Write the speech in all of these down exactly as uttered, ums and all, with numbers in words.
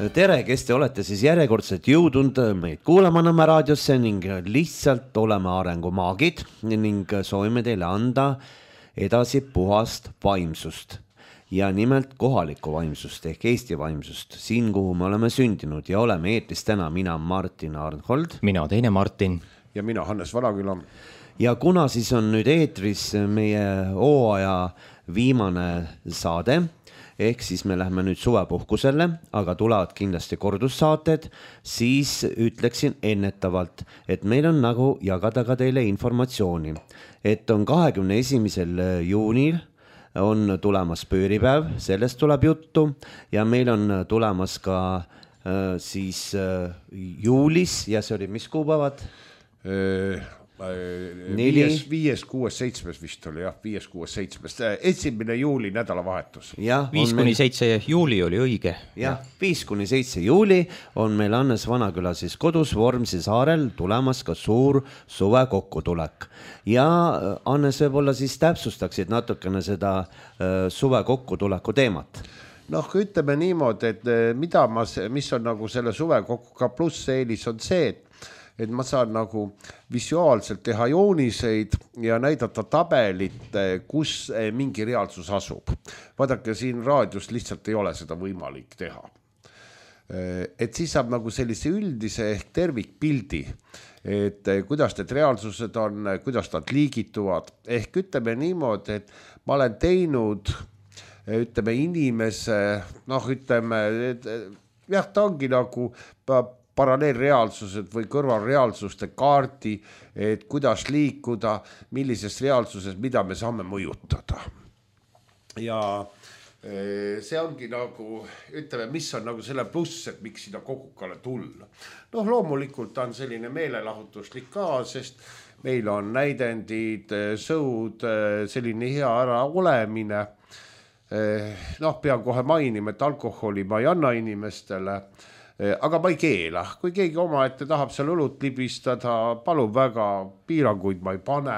Tere, kes te olete siis järjekordselt jõudnud meid kuulama Nõmme raadiosse ning lihtsalt oleme arengumaagid ning soovime teile anda edasi puhast vaimsust ja nimelt kohalikku vaimsust ehk Eesti vaimsust, siin kuhu me oleme sündinud ja oleme eetris täna mina Martin Arnhold. Mina teine Martin. Ja mina Hannes Valaküla. Ja kuna siis on nüüd eetris meie hooaja viimane saade, ehk siis me lähme nüüd suvepuhkusele, aga tulevad kindlasti kordussaated, siis ütleksin ennetavalt, et meil on nagu jagada ka teile informatsiooni, et on kahekümne esimesel juunil on tulemas pööripäev, sellest tuleb juttu ja meil on tulemas ka äh, siis äh, juulis ja see oli mis kuupäevad? Viies, viies, kuues, seitsmes vist oli jah, viies, kuues, seitsmes, esimene juuli nädalavahetus. Viis kuni seitse juuli oli õige. Jah, viis kuni seitse juuli on meil Hannes Vanaküla siis kodus Vormsi saarel tulemas ka suur suve kokkutulek. Ja Hannes võib-olla siis täpsustaksid natukene seda suve kokkutuleku teemat. Noh, ütleme niimoodi, et mida ma, mis on nagu selle suve kokku ka pluss eelis on see, et et ma saan nagu visuaalselt teha jooniseid ja näidata tabelit, kus mingi reaalsus asub. Vaadake, siin raadios lihtsalt ei ole seda võimalik teha. Et siis saab nagu sellise üldise ehk tervikpildi, et kuidas need reaalsused on, kuidas nad liigituvad. Ehk ütleme niimoodi, et ma olen teinud, ütleme inimese, noh ütleme, et, jah, ta ongi nagu paralleelreaalsused või kõrvalreaalsuste kaardi, et kuidas liikuda, millises reaalsuses, mida me saame mõjutada. Ja see ongi nagu, ütleme, mis on nagu selle pluss, et miks sinna kogukale tulla. Noh, loomulikult on selline meelelahutuslik ka, sest meil on näidendid, sõud, selline hea ära olemine. Noh, pean kohe mainima, et alkoholi ma ei anna inimestele, aga ma ei keela, kui keegi oma ette tahab seal õlut libistada, palun väga, piiranguid ma ei pane.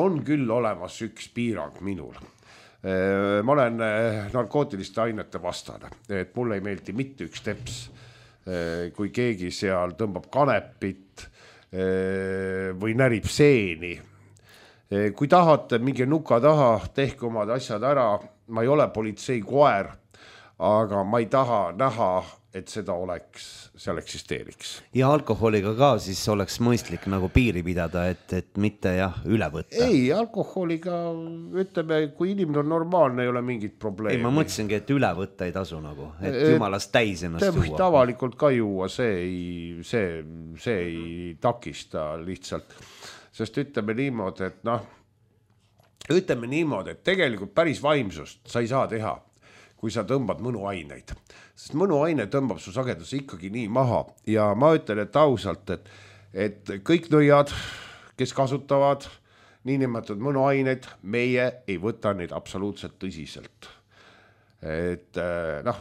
On küll olemas üks piirang minul. Ma olen narkootiliste ainete vastane, et mulle ei meeldi mitte üks teps, kui keegi seal tõmbab kanepit või närib seeni. Kui tahate mingi nuka taha, tehke omad asjad ära, ma ei ole politsei koer, aga ma ei taha näha, et seda oleks, seal eksisteeriks. Ja alkoholiga ka siis oleks mõistlik nagu piiri pidada, et, et mitte jah, üle võtta. Ei, alkoholiga, ütleme, kui inimene on normaalne, ei ole mingit probleemi. Ei, ma mõtlesingi, et üle võtta ei tasu nagu, et jumalast täis ennast juua. juua. Tavalikult ka juua, see ei, see, see ei takista lihtsalt. Sest ütleme niimoodi, et noh, ütleme niimoodi, et tegelikult päris vaimsust sa ei saa teha, kui sa tõmbad mõnuaineid. Sest mõnuaine tõmbab su sageduse ikkagi nii maha. Ja ma ütlen, et ausalt, et, et kõik nõiad, kes kasutavad niinimetatud mõnuaineid, meie ei võta neid absoluutselt tõsiselt. Et noh,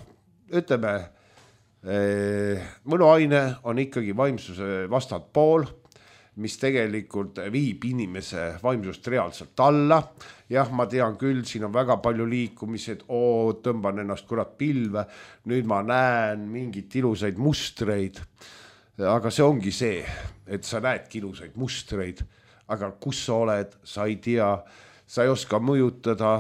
ütleme, mõnuaine on ikkagi vaimsuse vastand pool, mis tegelikult viib inimese vaimsust reaalselt alla. Jah, ma tean küll, siin on väga palju liikumised, oo, tõmban ennast kurat pilve, nüüd ma näen mingit ilusaid mustreid, aga see ongi see, et sa näedki ilusaid mustreid, aga kus sa oled, sa ei tea, sa ei oska mõjutada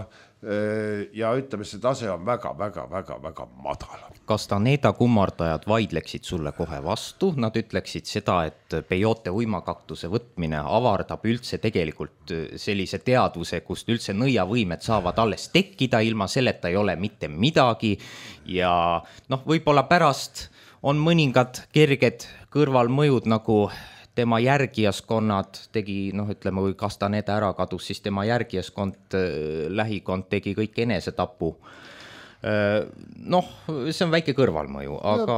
ja ütleme, see tase on väga, väga, väga, väga madal. Kas Taneda kummardajad vaidleksid sulle kohe vastu? Nad ütleksid seda, et peyote uimakaktuse võtmine avardab üldse tegelikult sellise teadvuse, kust üldse nõiavõimed saavad alles tekkida, ilma selleta ei ole mitte midagi ja noh, võib-olla pärast on mõningad kerged kõrvalmõjud nagu tema järgijaskonnad tegi, noh ütleme, kui Castaneda ära kadus, siis tema järgijaskond, lähikond tegi kõik enesetapu. Noh, see on väike kõrvalmõju, aga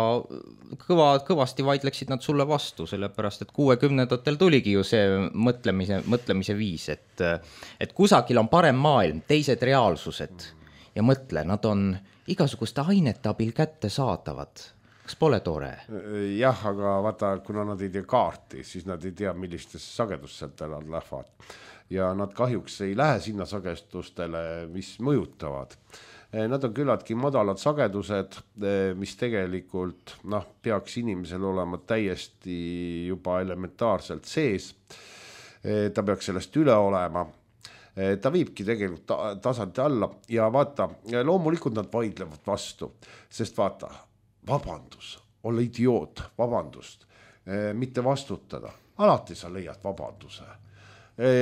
kõva, kõvasti vaidleksid nad sulle vastu, sellepärast, et kuuekümnendatel tuligi ju see mõtlemise, mõtlemise viis, et, et kusagil on parem maailm, teised reaalsused ja mõtle, nad on igasuguste ainete abil kätte saadavad. Kas pole tore? Jah, aga vaata, kuna nad ei tea kaarti, siis nad ei tea, millistesse sagedustele nad lähevad. Ja nad kahjuks ei lähe sinna sagedustele, mis mõjutavad. Nad on küllaltki madalad sagedused, mis tegelikult noh, peaks inimesel olema täiesti juba elementaarselt sees. Ta peaks sellest üle olema. Ta viibki tegelikult tasandi alla ja vaata, loomulikult nad vaidlevad vastu, sest vaata, vabandus, olla idioot, vabandust, mitte vastutada. Alati sa leiad vabanduse.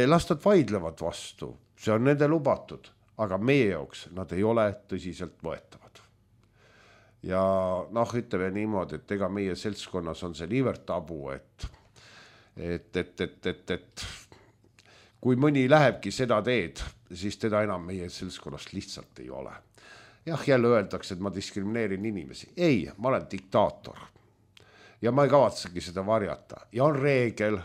Las nad vaidlevad vastu, see on nende lubatud. Aga meie jooks nad ei ole tõsiselt võetavad. Ja noh, ütleme niimoodi, et ega meie seltskonnas on see niivõrd tabu, et, et, et, et, et, et kui mõni lähebki seda teed, siis teda enam meie seltskonnast lihtsalt ei ole. Jah, jälle öeldakse, et ma diskrimineerin inimesi. Ei, ma olen diktaator. Ja ma ei kavatsegi seda varjata. Ja on reegel,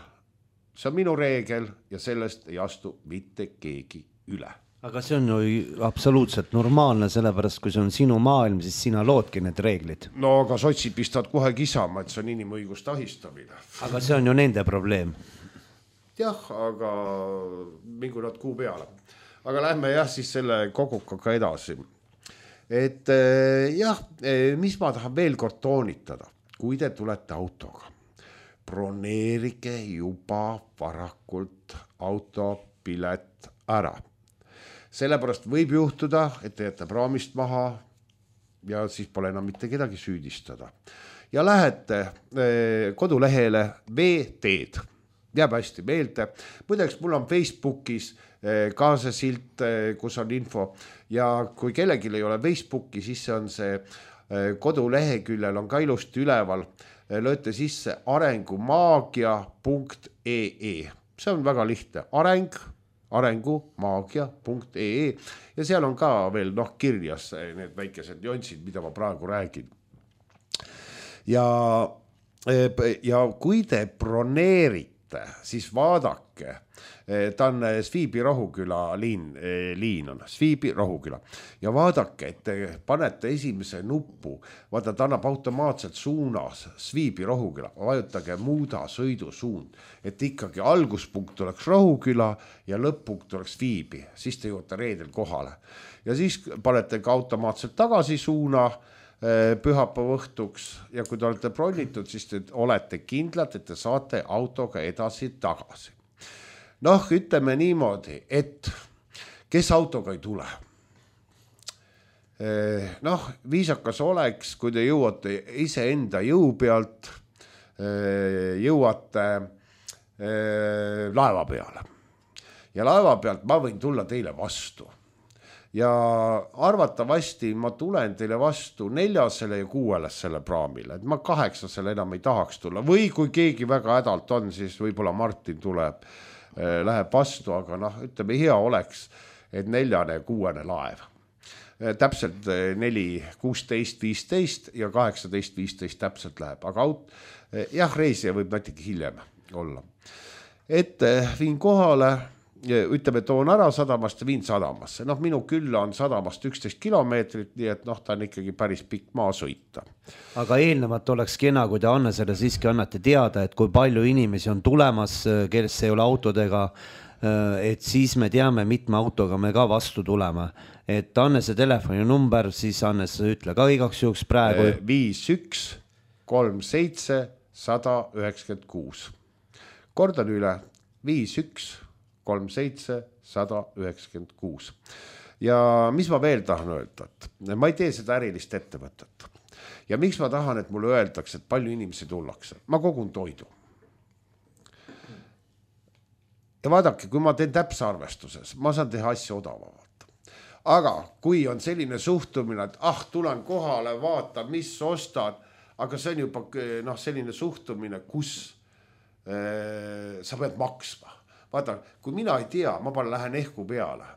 see on minu reegel ja sellest ei astu mitte keegi üle. Aga see on ju absoluutselt normaalne, sellepärast kui see on sinu maailm, siis sina loodki need reeglid. No aga sotsid pistavad kohe kisama, et see on inimõigust ahistamine. Aga see on ju nende probleem. Jah, aga mingu nad kuu peale. Aga lähme jah siis selle kogukaga edasi. Et jah, mis ma tahan veel kord toonitada, kui te tulete autoga. Broneerige juba varakult autopilet ära. Sellepärast võib juhtuda, et te jätte praamist maha ja siis pole enam mitte kedagi süüdistada. Ja lähete kodulehele V-teed. Jääb hästi meelde. Muideks, mul on Facebookis ka see silt, kus on info. Ja kui kellelgi ei ole Facebooki, siis on see koduleheküljel on ka ilusti üleval. Lööte sisse arengumaagia punkt ee. See on väga lihtne. Areng arengumaagia punkt ee ja seal on ka veel noh, kirjas need väikesed nüansid, mida ma praegu räägin. Ja, ja kui te broneerite, siis vaadake, ta on Sviibi Rohuküla liin, liin on, Sviibi Rohuküla. Ja vaadake, et te panete esimese nuppu, vaata, ta annab automaatselt suunas Sviibi Rohuküla, vajutage muuda sõidusuund, et ikkagi alguspunkt oleks Rohuküla ja lõpp-punkt oleks Sviibi, siis te jõuate reedel kohale. Ja siis panete ka automaatselt tagasi suuna pühapäeva õhtuks ja kui te olete bronnitud, siis te olete kindlad, et te saate autoga edasi tagasi. Noh, ütleme niimoodi, et kes autoga ei tule. Noh, viisakas oleks, kui te jõuate ise enda jõu pealt, jõuate laeva peale. Ja laeva pealt ma võin tulla teile vastu. Ja arvatavasti ma tulen teile vastu neljasele ja kuuelesele praamile, et ma kaheksasele enam ei tahaks tulla. Või kui keegi väga hädalt on, siis võib-olla Martin tuleb läheb vastu, aga noh, ütleme, hea oleks, et neljane ja kuuene laev. Täpselt neli, kuusteist, viisteist ja kaheksateist, viisteist täpselt läheb, aga aut, jah, reisija võib natuke hiljem olla. Et viin kohale, ütleme, toon ära sadamast ja viin sadamasse. Noh, minu külla on sadamast üksteist kilomeetrit, nii et noh, ta on ikkagi päris pikk maa sõita. Aga eelnevalt oleks kena, kui te Annesele siiski annate teada, et kui palju inimesi on tulemas, kes ei ole autodega, et siis me teame, mitme autoga me ka vastu tuleme. Et Annese telefoni number, siis Annes ütle ka igaks juhuks praegu. viis üks kolm seitse sada üheksakümmend kuus. Kordan üle, viis üks kolm seitse sada üheksakümmend kuus. Ja mis ma veel tahan öelda, et ma ei tee seda ärilist ettevõtet. Ja miks ma tahan, et mulle öeldakse, et palju inimesi tullakse? Ma kogun toidu. Ja vaadake, kui ma teen täpse arvestuses, ma saan teha asja odavamalt. Aga kui on selline suhtumine, et ah, tulen kohale, vaata, mis ostan, aga see on juba noh, selline suhtumine, kus äh, sa pead maksma. Vaata, kui mina ei tea, ma palju lähen ehku peale,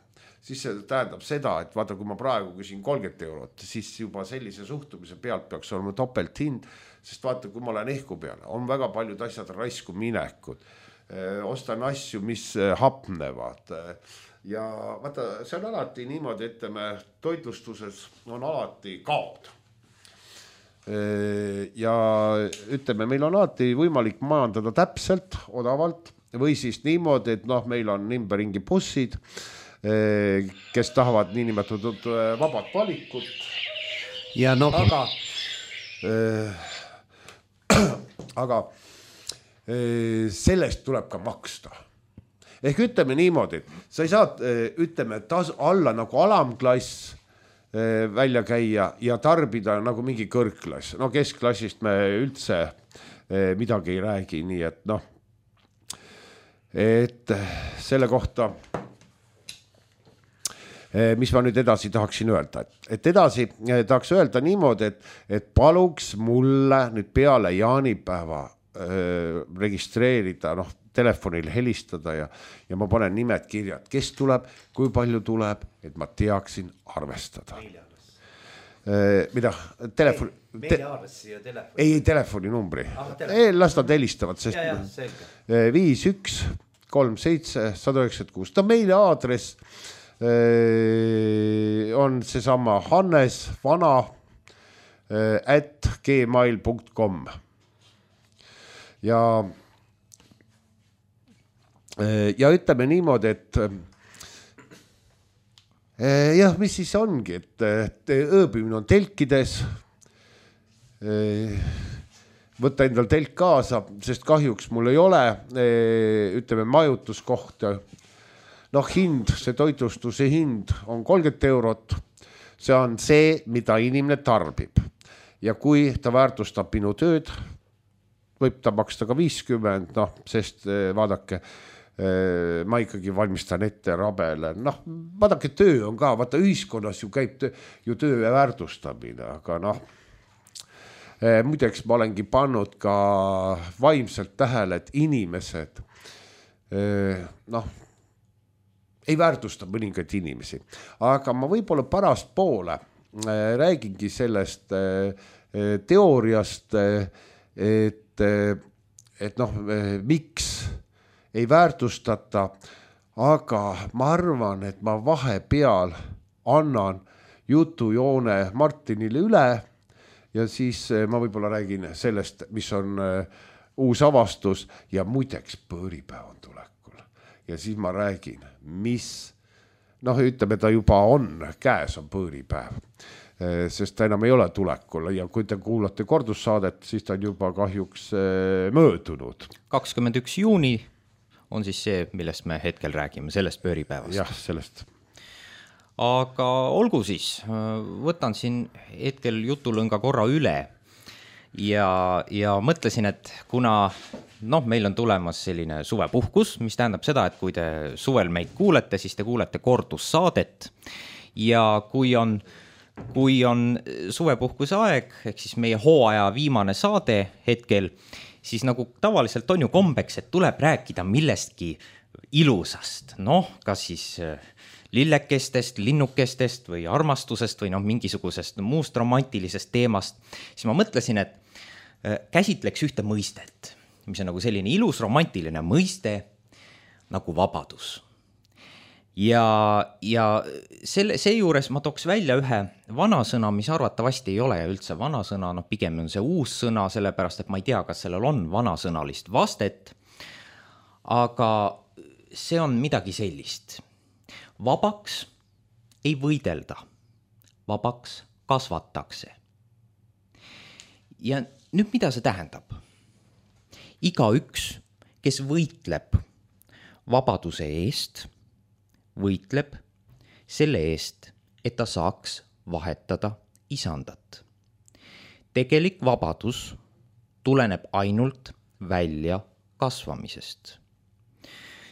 siis see tähendab seda, et vaata, kui ma praegu küsin kolmkümmend eurot, siis juba sellise suhtumise pealt peaks olema topelt hind, sest vaata, kui ma lähen ehku peale, on väga paljud asjad raisku minekud, ostan asju, mis hapnevad ja vaata, see on alati niimoodi, ütleme, toitlustuses on alati kaod. Ja ütleme, meil on alati võimalik majandada täpselt, odavalt, või siis niimoodi, et noh, meil on ümberringi bussid kes tahavad niinimetatud vabad valikut. Ja no... Aga, äh, aga äh, sellest tuleb ka maksta. Ehk ütleme niimoodi, et sa ei saa, ütleme, tas, alla nagu alamklass äh, välja käia ja tarbida nagu mingi kõrgklass. No keskklassist me üldse äh, midagi ei räägi, nii et noh, et selle kohta, mis ma nüüd edasi tahaksin öelda, et, et edasi tahaks öelda niimoodi, et, et paluks mulle nüüd peale jaanipäeva äh, registreerida, noh, telefonil helistada ja, ja ma panen nimed kirja, et kes tuleb, kui palju tuleb, et ma teaksin arvestada. Äh, mida? Telefon... Meiliaadressi ja telefoni. Ei, telefoninumbri. Ah, ei, las nad helistavad, sest ja, ja, viis üks kolm seitse sada üheksakümmend kuus. Ta meiliaadress on seesama Hannes Vana at gmail punkt com ja ja ütleme niimoodi, et jah, mis siis ongi, et ööbimine on telkides, võtta endal telk kaasa, sest kahjuks mul ei ole, ütleme, majutuskohta. Noh, hind, see toitlustuse hind on kolmkümmend eurot. See on see, mida inimene tarbib. Ja kui ta väärtustab minu tööd, võib ta maksta ka viiskümmend, noh, sest vaadake, ma ikkagi valmistan ette rabele. Noh, vaadake, töö on ka, vaata ühiskonnas ju käib töö, ju töö väärtustamine, aga noh, muideks ma olengi pannud ka vaimselt tähele, et inimesed, noh, ei väärtusta mõningaid inimesi. Aga ma võib-olla pärast poole räägingi sellest teooriast, et, et noh, miks ei väärtustata, aga ma arvan, et ma vahepeal annan jutujoone Martinile üle ja siis ma võib-olla räägin sellest, mis on uus avastus ja muideks põõripäev on tulekul. Ja siis ma räägin, mis, noh, ütleme, ta juba on, käes on põõripäev, sest ta enam ei ole tulekul ja kui te kuulate kordussaadet, siis ta on juba kahjuks möödunud. kakskümmend üks juuni on siis see, millest me hetkel räägime, sellest põõripäevast. Jah, sellest. Aga olgu siis, võtan siin hetkel jutulõnga korra üle ja, ja mõtlesin, et kuna noh, meil on tulemas selline suvepuhkus, mis tähendab seda, et kui te suvel meid kuulete, siis te kuulete kordussaadet ja kui on, kui on suvepuhkuse aeg, ehk siis meie hooaja viimane saade hetkel, siis nagu tavaliselt on ju kombeks, et tuleb rääkida millestki ilusast, noh, kas siis lillekestest, linnukestest või armastusest või noh, mingisugusest muust romantilisest teemast, siis ma mõtlesin, et käsitleks ühte mõistet, mis on nagu selline ilus romantiline mõiste nagu vabadus. Ja, ja selle, see juures ma tooks välja ühe vanasõna, mis arvatavasti ei ole ja üldse vanasõna, noh pigem on see uus sõna, sellepärast et ma ei tea, kas sellel on vanasõnalist vastet, aga see on midagi sellist. Vabaks ei võidelda, vabaks kasvatakse. Ja nüüd mida see tähendab? Iga üks, kes võitleb vabaduse eest, võitleb selle eest, et ta saaks vahetada isandat. Tegelik vabadus tuleneb ainult välja kasvamisest.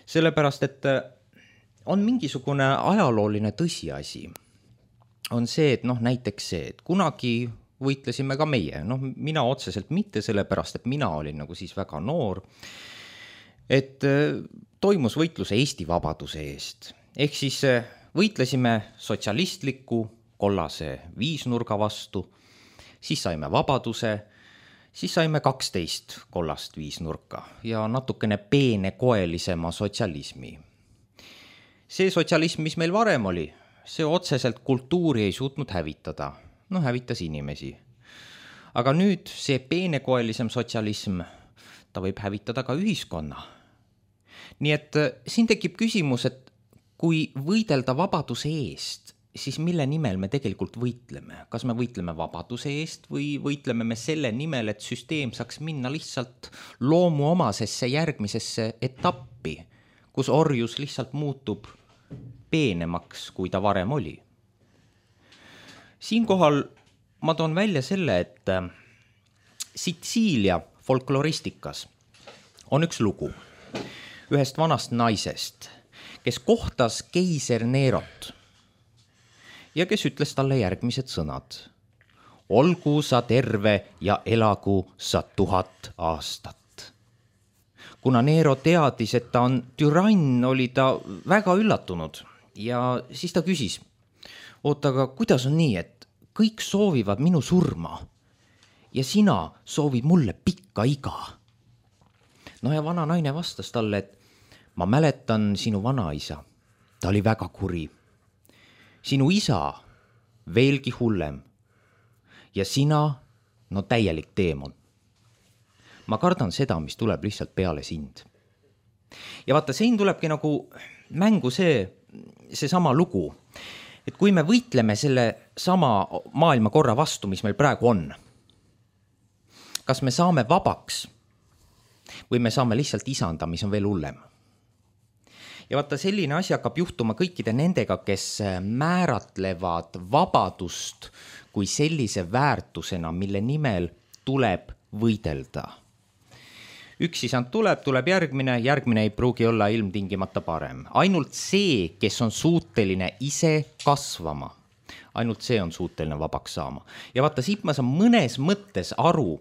Sellepärast, et on mingisugune ajalooline tõsiasi. On see, et noh, näiteks see, et kunagi võitlesime ka meie, noh mina otseselt mitte sellepärast, et mina olin nagu siis väga noor, et toimus võitlus Eesti vabaduse eest. Ehk siis võitlesime sotsialistliku kollase viisnurga vastu, siis saime vabaduse, siis saime kaksteist kollast viisnurka ja natukene peenekoelisema sotsialismi. See sotsialism, mis meil varem oli, see otseselt kultuuri ei suutnud hävitada. No hävitas inimesi. Aga nüüd see peenekoelisem sotsialism, ta võib hävitada ka ühiskonna. Nii et siin tekib küsimus, et kui võidelda vabaduse eest, siis mille nimel me tegelikult võitleme? Kas me võitleme vabaduse eest või võitleme me selle nimel, et süsteem saaks minna lihtsalt loomuomasesse järgmisesse etappi, kus orjus lihtsalt muutub peenemaks, kui ta varem oli? Siinkohal ma toon välja selle, et Sitsiilia folkloristikas on üks lugu ühest vanast naisest, kes kohtas keiser Nerot ja kes ütles talle järgmised sõnad. Olgu sa terve ja elagu sa tuhat aastat. Kuna Nero teadis, et ta on türann, oli ta väga üllatunud ja siis ta küsis, oota, aga kuidas on nii, et kõik soovivad minu surma ja sina soovid mulle pikka iga? No ja vana naine vastas talle, et ma mäletan sinu vanaisa, ta oli väga kuri. Sinu isa veelgi hullem ja sina, no täielik teemon. Ma kardan seda, mis tuleb lihtsalt peale sind. Ja vaata, siin tulebki nagu mängu see, see sama lugu, et kui me võitleme selle sama maailmakorra vastu, mis meil praegu on, kas me saame vabaks või me saame lihtsalt isanda, mis on veel hullem. Ja vaata, selline asi hakkab juhtuma kõikide nendega, kes määratlevad vabadust kui sellise väärtusena, mille nimel tuleb võidelda. Üks isand tuleb, tuleb järgmine, järgmine ei pruugi olla ilmtingimata parem. Ainult see, kes on suuteline ise kasvama, ainult see on suuteline vabaks saama. Ja vaata, siit ma saan mõnes mõttes aru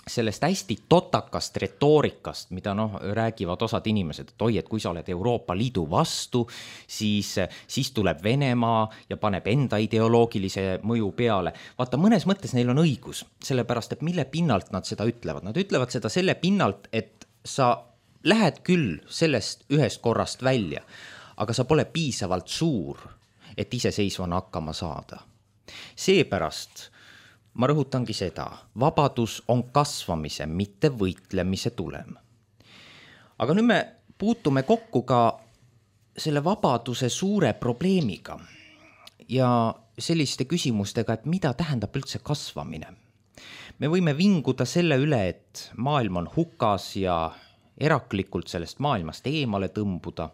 sellest hästi totakast retoorikast, mida noh, räägivad osad inimesed, et oi, et kui sa oled Euroopa Liidu vastu, siis, siis tuleb Venemaa ja paneb enda ideoloogilise mõju peale. Vaata, mõnes mõttes neil on õigus, sellepärast, et mille pinnalt nad seda ütlevad. Nad ütlevad seda selle pinnalt, et sa lähed küll sellest ühest korrast välja, aga sa pole piisavalt suur, et iseseisvana hakkama saada. Seepärast ma rõhutangi seda, vabadus on kasvamise, mitte võitlemise tulem. Aga nüüd me puutume kokku ka selle vabaduse suure probleemiga ja selliste küsimustega, et mida tähendab üldse kasvamine. Me võime vinguda selle üle, et maailm on hukas ja eraklikult sellest maailmast eemale tõmbuda,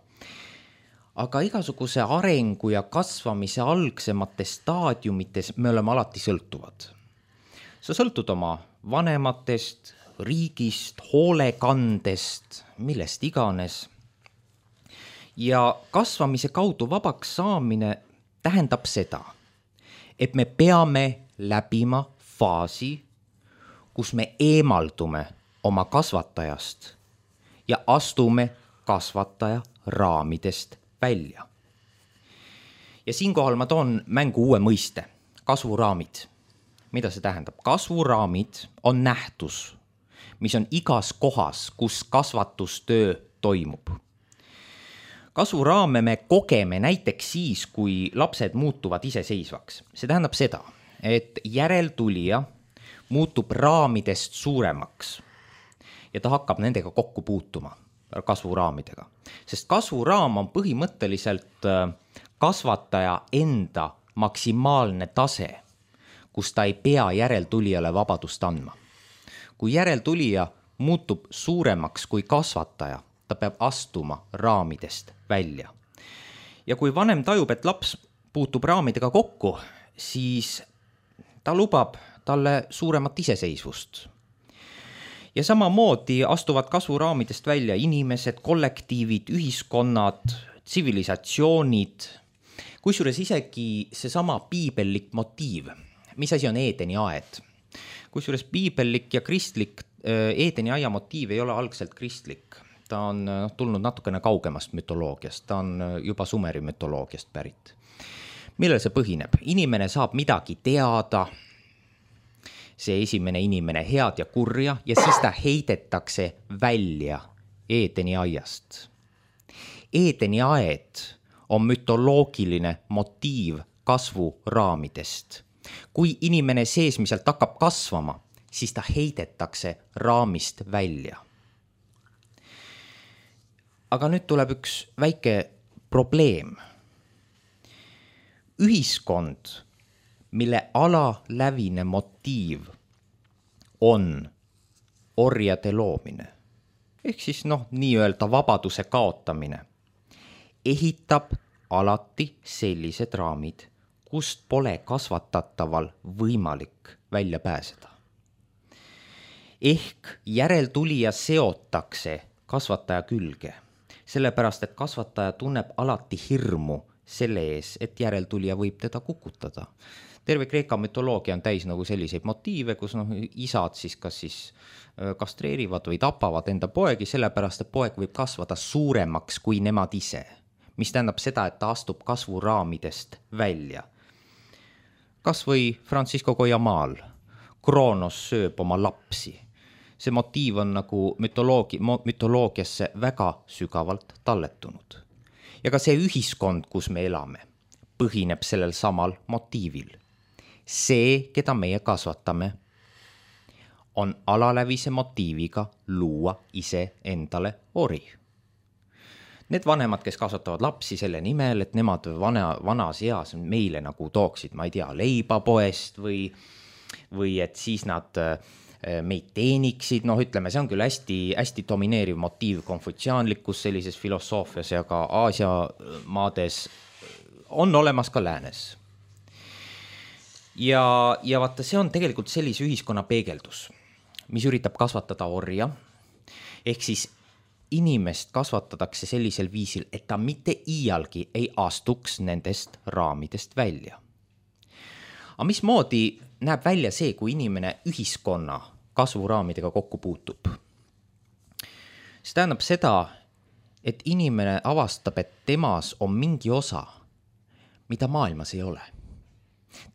aga igasuguse arengu ja kasvamise algsemates staadiumites me oleme alati sõltuvad. Sa sõltud oma vanematest, riigist, hoolekandest, millest iganes. Ja kasvamise kaudu vabaks saamine tähendab seda, et me peame läbima faasi, kus me eemaldume oma kasvatajast ja astume kasvataja raamidest välja. Ja siinkohal ma toon mängu uue mõiste, kasvuraamid. Mida see tähendab? Kasvuraamid on nähtus, mis on igas kohas, kus kasvatustöö toimub. Kasvuraame me kogeme näiteks siis, kui lapsed muutuvad iseseisvaks. See tähendab seda, et järeltulija muutub raamidest suuremaks ja ta hakkab nendega kokku puutuma, kasvuraamidega. Sest kasvuraam on põhimõtteliselt kasvataja enda maksimaalne tase, kus ta ei pea järeltulijale vabadust andma. Kui järeltulija muutub suuremaks kui kasvataja, ta peab astuma raamidest välja. Ja kui vanem tajub, et laps puutub raamidega kokku, siis ta lubab talle suuremat iseseisvust. Ja samamoodi astuvad kasvuraamidest välja inimesed, kollektiivid, ühiskonnad, tsivilisatsioonid, kusjuures isegi seesama piibellik motiiv. Mis asi on Eedeni aed? Kusjuures piibellik ja kristlik Eedeni aia motiiv ei ole algselt kristlik. Ta on tulnud natukene kaugemast mütoloogiast, ta on juba Sumeri mütoloogiast pärit. Millel see põhineb? Inimene saab midagi teada, see esimene inimene head ja kurja, ja siis ta heidetakse välja Eedeni aiast. Eedeni aed on mütoloogiline motiiv kasvuraamidest. Kui inimene seesmiselt hakkab kasvama, siis ta heidetakse raamist välja. Aga nüüd tuleb üks väike probleem. Ühiskond, mille alalävine motiiv on orjade loomine, ehk siis noh, nii-öelda vabaduse kaotamine, ehitab alati sellised raamid, kust pole kasvatataval võimalik välja pääseda. Ehk järeltulija seotakse kasvataja külge, sellepärast et kasvataja tunneb alati hirmu selle ees, et järeltulija võib teda kukutada. Terve Kreeka mütoloogia on täis nagu selliseid motiive, kus noh, isad siis kas siis kastreerivad või tapavad enda poegi, sellepärast et poeg võib kasvada suuremaks kui nemad ise, mis tähendab seda, et ta astub kasvuraamidest välja. Kas või Francisco Goyamaal, Kroonos sööb oma lapsi. See motiiv on nagu mütoloogi, mütoloogiasse väga sügavalt talletunud. Ja ka see ühiskond, kus me elame, põhineb sellel samal motiivil. See, keda meie kasvatame, on alalävise motiiviga luua ise endale ori. Need vanemad, kes kasvatavad lapsi selle nimel, et nemad vana, vanas eas meile nagu tooksid, ma ei tea, leiba poest või, või et siis nad meid teeniksid, noh ütleme, see on küll hästi, hästi domineeriv motiiv konfutsiaanlikus sellises filosoofias ja ka Aasia maades on olemas ka läänes. Ja, ja vaata, see on tegelikult sellise ühiskonna peegeldus, mis üritab kasvatada orja, ehk siis inimest kasvatatakse sellisel viisil, et ta mitte iialgi ei astuks nendest raamidest välja. Aga mismoodi näeb välja see, kui inimene ühiskonna kasvuraamidega kokku puutub? See tähendab seda, et inimene avastab, et temas on mingi osa, mida maailmas ei ole.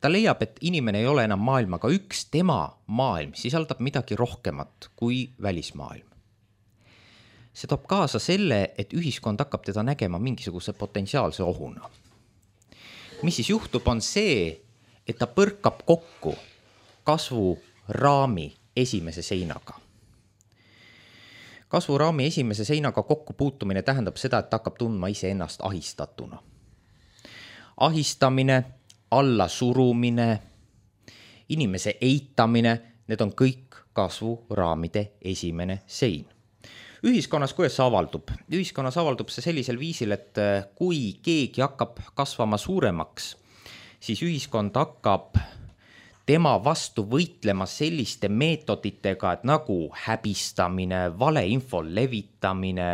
Ta leiab, et inimene ei ole enam maailmaga üks, tema maailm sisaldab midagi rohkemat kui välismaailm. See toob kaasa selle, et ühiskond hakkab teda nägema mingisuguse potentsiaalse ohuna. Mis siis juhtub, on see, et ta põrkab kokku kasvuraami esimese seinaga. Kasvuraami esimese seinaga kokku puutumine tähendab seda, et ta hakkab tundma ise ennast ahistatuna. Ahistamine, alla surumine, inimese eitamine, need on kõik kasvuraamide esimene sein. Ühiskonnas, kuidas see avaldub? Ühiskonnas avaldub see sellisel viisil, et kui keegi hakkab kasvama suuremaks, siis ühiskond hakkab tema vastu võitlema selliste meetoditega, et nagu häbistamine, valeinfo levitamine,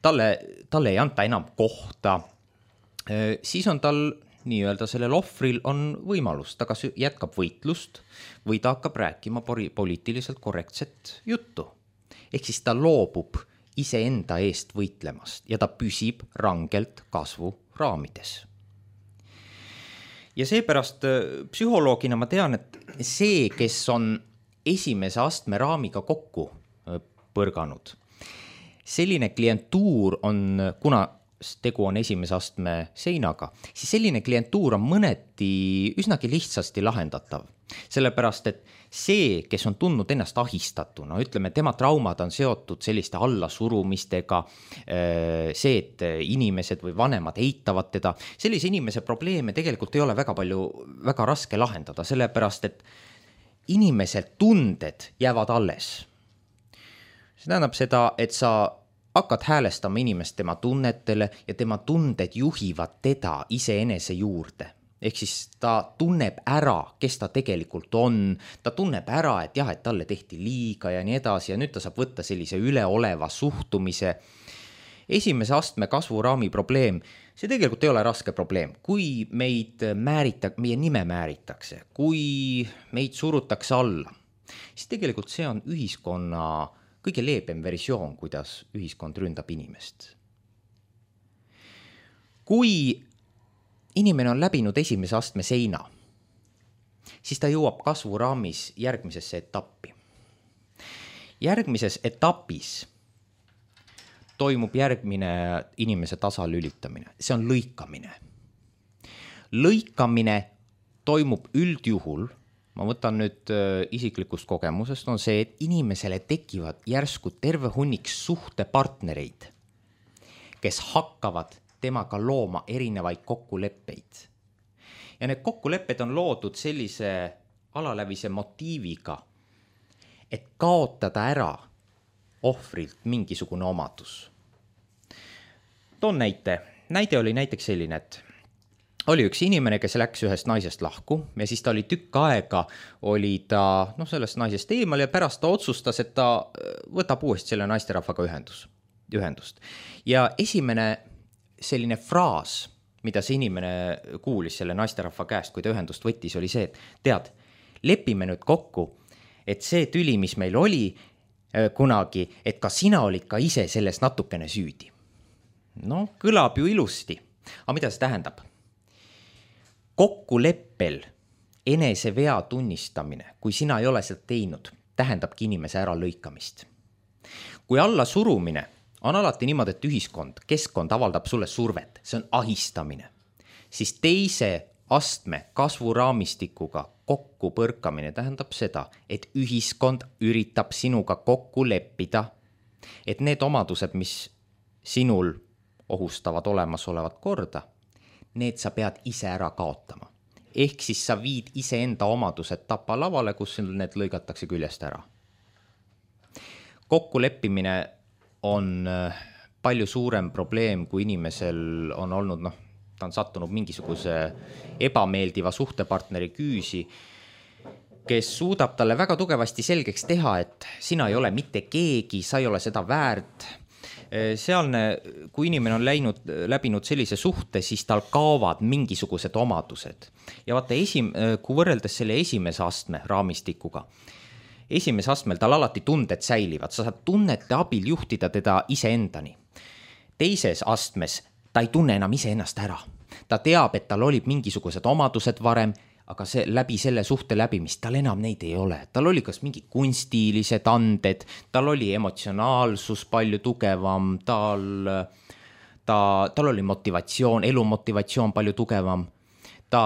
talle, talle ei anta enam kohta, siis on tal nii-öelda sellel ohvril on võimalus, ta kas jätkab võitlust või ta hakkab rääkima poliitiliselt korrektset juttu. Ehk siis ta loobub iseenda eest võitlemast ja ta püsib rangelt kasvuraamides. Ja seepärast psühholoogina ma tean, et see, kes on esimese astme raamiga kokku põrganud, selline klientuur on, kuna tegu on esimese astme seinaga, siis selline klientuur on mõneti üsnagi lihtsasti lahendatav. Sellepärast, et see, kes on tundnud ennast ahistatuna, ütleme, tema traumad on seotud selliste allasurumistega, see, et inimesed või vanemad eitavad teda, sellise inimese probleeme tegelikult ei ole väga palju, väga raske lahendada, sellepärast, et inimese tunded jäävad alles. See tähendab seda, et sa hakkad häälestama inimest tema tunnetele ja tema tunded juhivad teda iseenese juurde. Ehk siis ta tunneb ära, kes ta tegelikult on, ta tunneb ära, et jah, et talle tehti liiga ja nii edasi ja nüüd ta saab võtta sellise üleoleva suhtumise. Esimese astme kasvuraami probleem, see tegelikult ei ole raske probleem. Kui meid määrita, meie nime määritakse, kui meid surutakse alla, siis tegelikult see on ühiskonna kõige leebem versioon, kuidas ühiskond ründab inimest. Kui inimene on läbinud esimese astme seina, siis ta jõuab kasvuraamis järgmisesse etappi. Järgmises etapis toimub järgmine inimese tasalülitamine. See on lõikamine. Lõikamine toimub üldjuhul, ma võtan nüüd isiklikust kogemusest, on see, et inimesele tekivad järsku terve hunnik suhtepartnereid, kes hakkavad temaga looma erinevaid kokkuleppeid. Ja need kokkulepped on loodud sellise alalävise motiiviga, et kaotada ära ohvrilt mingisugune omadus. Toon näite. Näide oli näiteks selline, et oli üks inimene, kes läks ühest naisest lahku ja siis ta oli tükk aega, oli ta noh, sellest naisest eemal ja pärast ta otsustas, et ta võtab uuesti selle naisterahvaga ühendus, ühendust. Ja esimene selline fraas, mida see inimene kuulis selle naisterahva käest, kui ta ühendust võttis, oli see, et tead, lepime nüüd kokku, et see tüli, mis meil oli kunagi, et ka sina olid ka ise selles natukene süüdi. No, kõlab ju ilusti. Aga mida see tähendab? Kokkuleppel enese vea tunnistamine, kui sina ei ole seda teinud, tähendabki inimese ära lõikamist. Kui alla surumine on alati niimoodi, et ühiskond, keskkond avaldab sulle survet, see on ahistamine, siis teise astme kasvuraamistikuga kokku põrkamine tähendab seda, et ühiskond üritab sinuga kokku leppida, et need omadused, mis sinul ohustavad olemasolevat korda, need sa pead ise ära kaotama. Ehk siis sa viid ise enda omadused tapalavale, kus need lõigatakse küljest ära. Kokkuleppimine on palju suurem probleem, kui inimesel on olnud, noh, ta on sattunud mingisuguse ebameeldiva suhtepartneri küüsi, kes suudab talle väga tugevasti selgeks teha, et sina ei ole mitte keegi, sa ei ole seda väärt. Sealne, kui inimene on läinud, läbinud sellise suhte, siis tal kaovad mingisugused omadused. Ja vaata, esim, kui võrreldes selle esimese astme raamistikuga, esimese astmel tal alati tunded säilivad, sa saad tunnete abil juhtida teda iseendani. Teises astmes ta ei tunne enam iseennast ära. Ta teab, et tal olid mingisugused omadused varem, aga see, läbi selle suhte läbimist tal enam neid ei ole. Tal oli kas mingi kunstilised anded, tal oli emotsionaalsus palju tugevam, tal, ta, tal oli motivatsioon, elumotivatsioon palju tugevam. Ta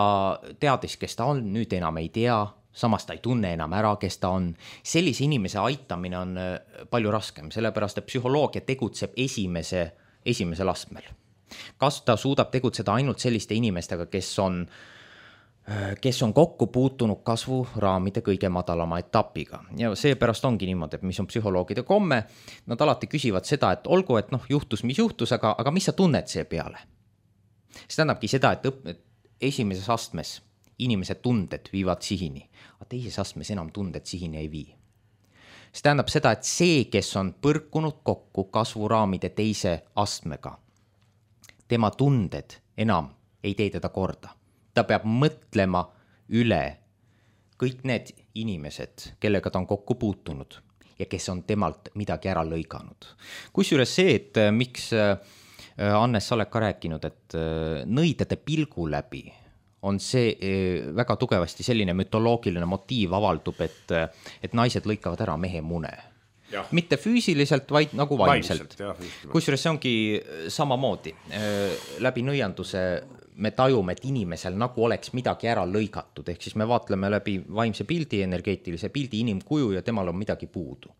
teadis, kes ta on, nüüd enam ei tea, samas ta ei tunne enam ära, kes ta on. Sellise inimese aitamine on palju raskem, sellepärast et psühholoogia tegutseb esimese, esimesel astmel. Kas ta suudab tegutseda ainult selliste inimestega, kes on kes on kokku puutunud kasvuraamide kõige madalama etapiga. Ja seepärast ongi niimoodi, et mis on psühholoogide komme, nad alati küsivad seda, et olgu, et noh, juhtus, mis juhtus, aga, aga mis sa tunned see peale? See tähendabki seda, et, õp, et esimeses astmes inimese tunded viivad sihini, aga teises astmes enam tunded sihini ei vii. See tähendab seda, et see, kes on põrkunud kokku kasvuraamide teise astmega, tema tunded enam ei tee teda korda. Ta peab mõtlema üle kõik need inimesed, kellega ta on kokku puutunud ja kes on temalt midagi ära lõiganud. Kusjuures see, et miks Annes, sa oled ka rääkinud, et nõidade pilgu läbi on see väga tugevasti selline mütoloogiline motiiv avaldub, et, et naised lõikavad ära mehe mune. Ja. Mitte füüsiliselt, vaid nagu vaimselt. Kusjuures see ongi samamoodi. Läbi nõianduse me tajume, et inimesel nagu oleks midagi ära lõigatud, ehk siis me vaatleme läbi vaimse pildi, energeetilise pildi inimkuju ja temal on midagi puudu.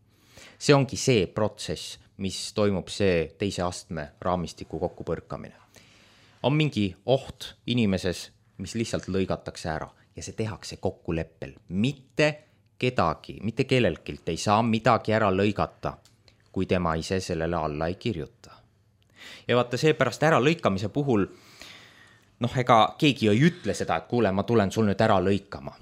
See ongi see protsess, mis toimub see teise astme raamistiku kokkupõrkamine. On mingi oht inimeses, mis lihtsalt lõigatakse ära ja see tehakse kokkuleppel. Mitte kedagi, mitte kellelgilt ei saa midagi ära lõigata, kui tema ise sellele alla ei kirjuta. Ja vaata seepärast ära lõikamise puhul noh, ega keegi ei ütle seda, et kuule, ma tulen sul nüüd ära lõikama.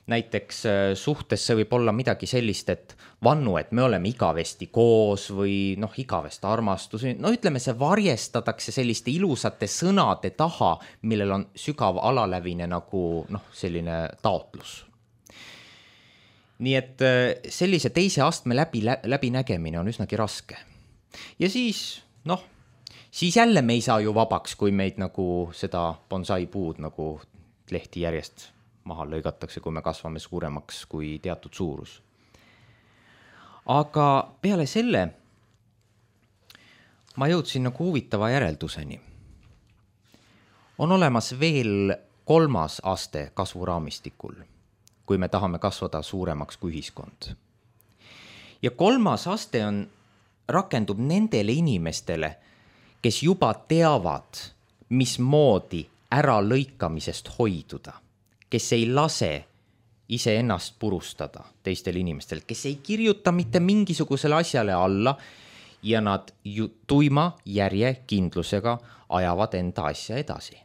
Näiteks suhtes see võib olla midagi sellist, et vannu, et me oleme igavesti koos või noh, igavest armastus. No ütleme, see varjestatakse selliste ilusate sõnade taha, millel on sügav alalävine nagu noh, selline taotlus. Nii et sellise teise astme läbi, läbi nägemine on üsnagi raske. Ja siis, noh, siis jälle me ei saa ju vabaks, kui meid nagu seda bonsai puud nagu lehti järjest maha lõigatakse, kui me kasvame suuremaks kui teatud suurus. Aga peale selle ma jõudsin nagu huvitava järelduseni. On olemas veel kolmas aste kasvuraamistikul, kui me tahame kasvada suuremaks kui ühiskond. Ja kolmas aste on, rakendub nendele inimestele, kes juba teavad, mismoodi ära lõikamisest hoiduda, kes ei lase iseennast purustada teistel inimestel, kes ei kirjuta mitte mingisugusele asjale alla ja nad ju tuima järjekindlusega ajavad enda asja edasi.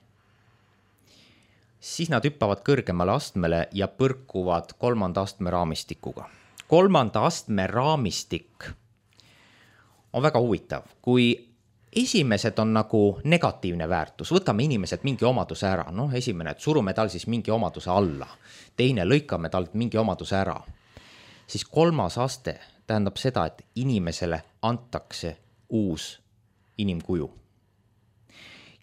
Siis nad hüppavad kõrgemale astmele ja põrkuvad kolmanda astme raamistikuga. Kolmanda astme raamistik on väga huvitav, kui esimesed on nagu negatiivne väärtus, võtame inimesed mingi omaduse ära, noh esimene, et surume tal siis mingi omaduse alla, teine lõikame talt mingi omaduse ära, siis kolmas aste tähendab seda, et inimesele antakse uus inimkuju.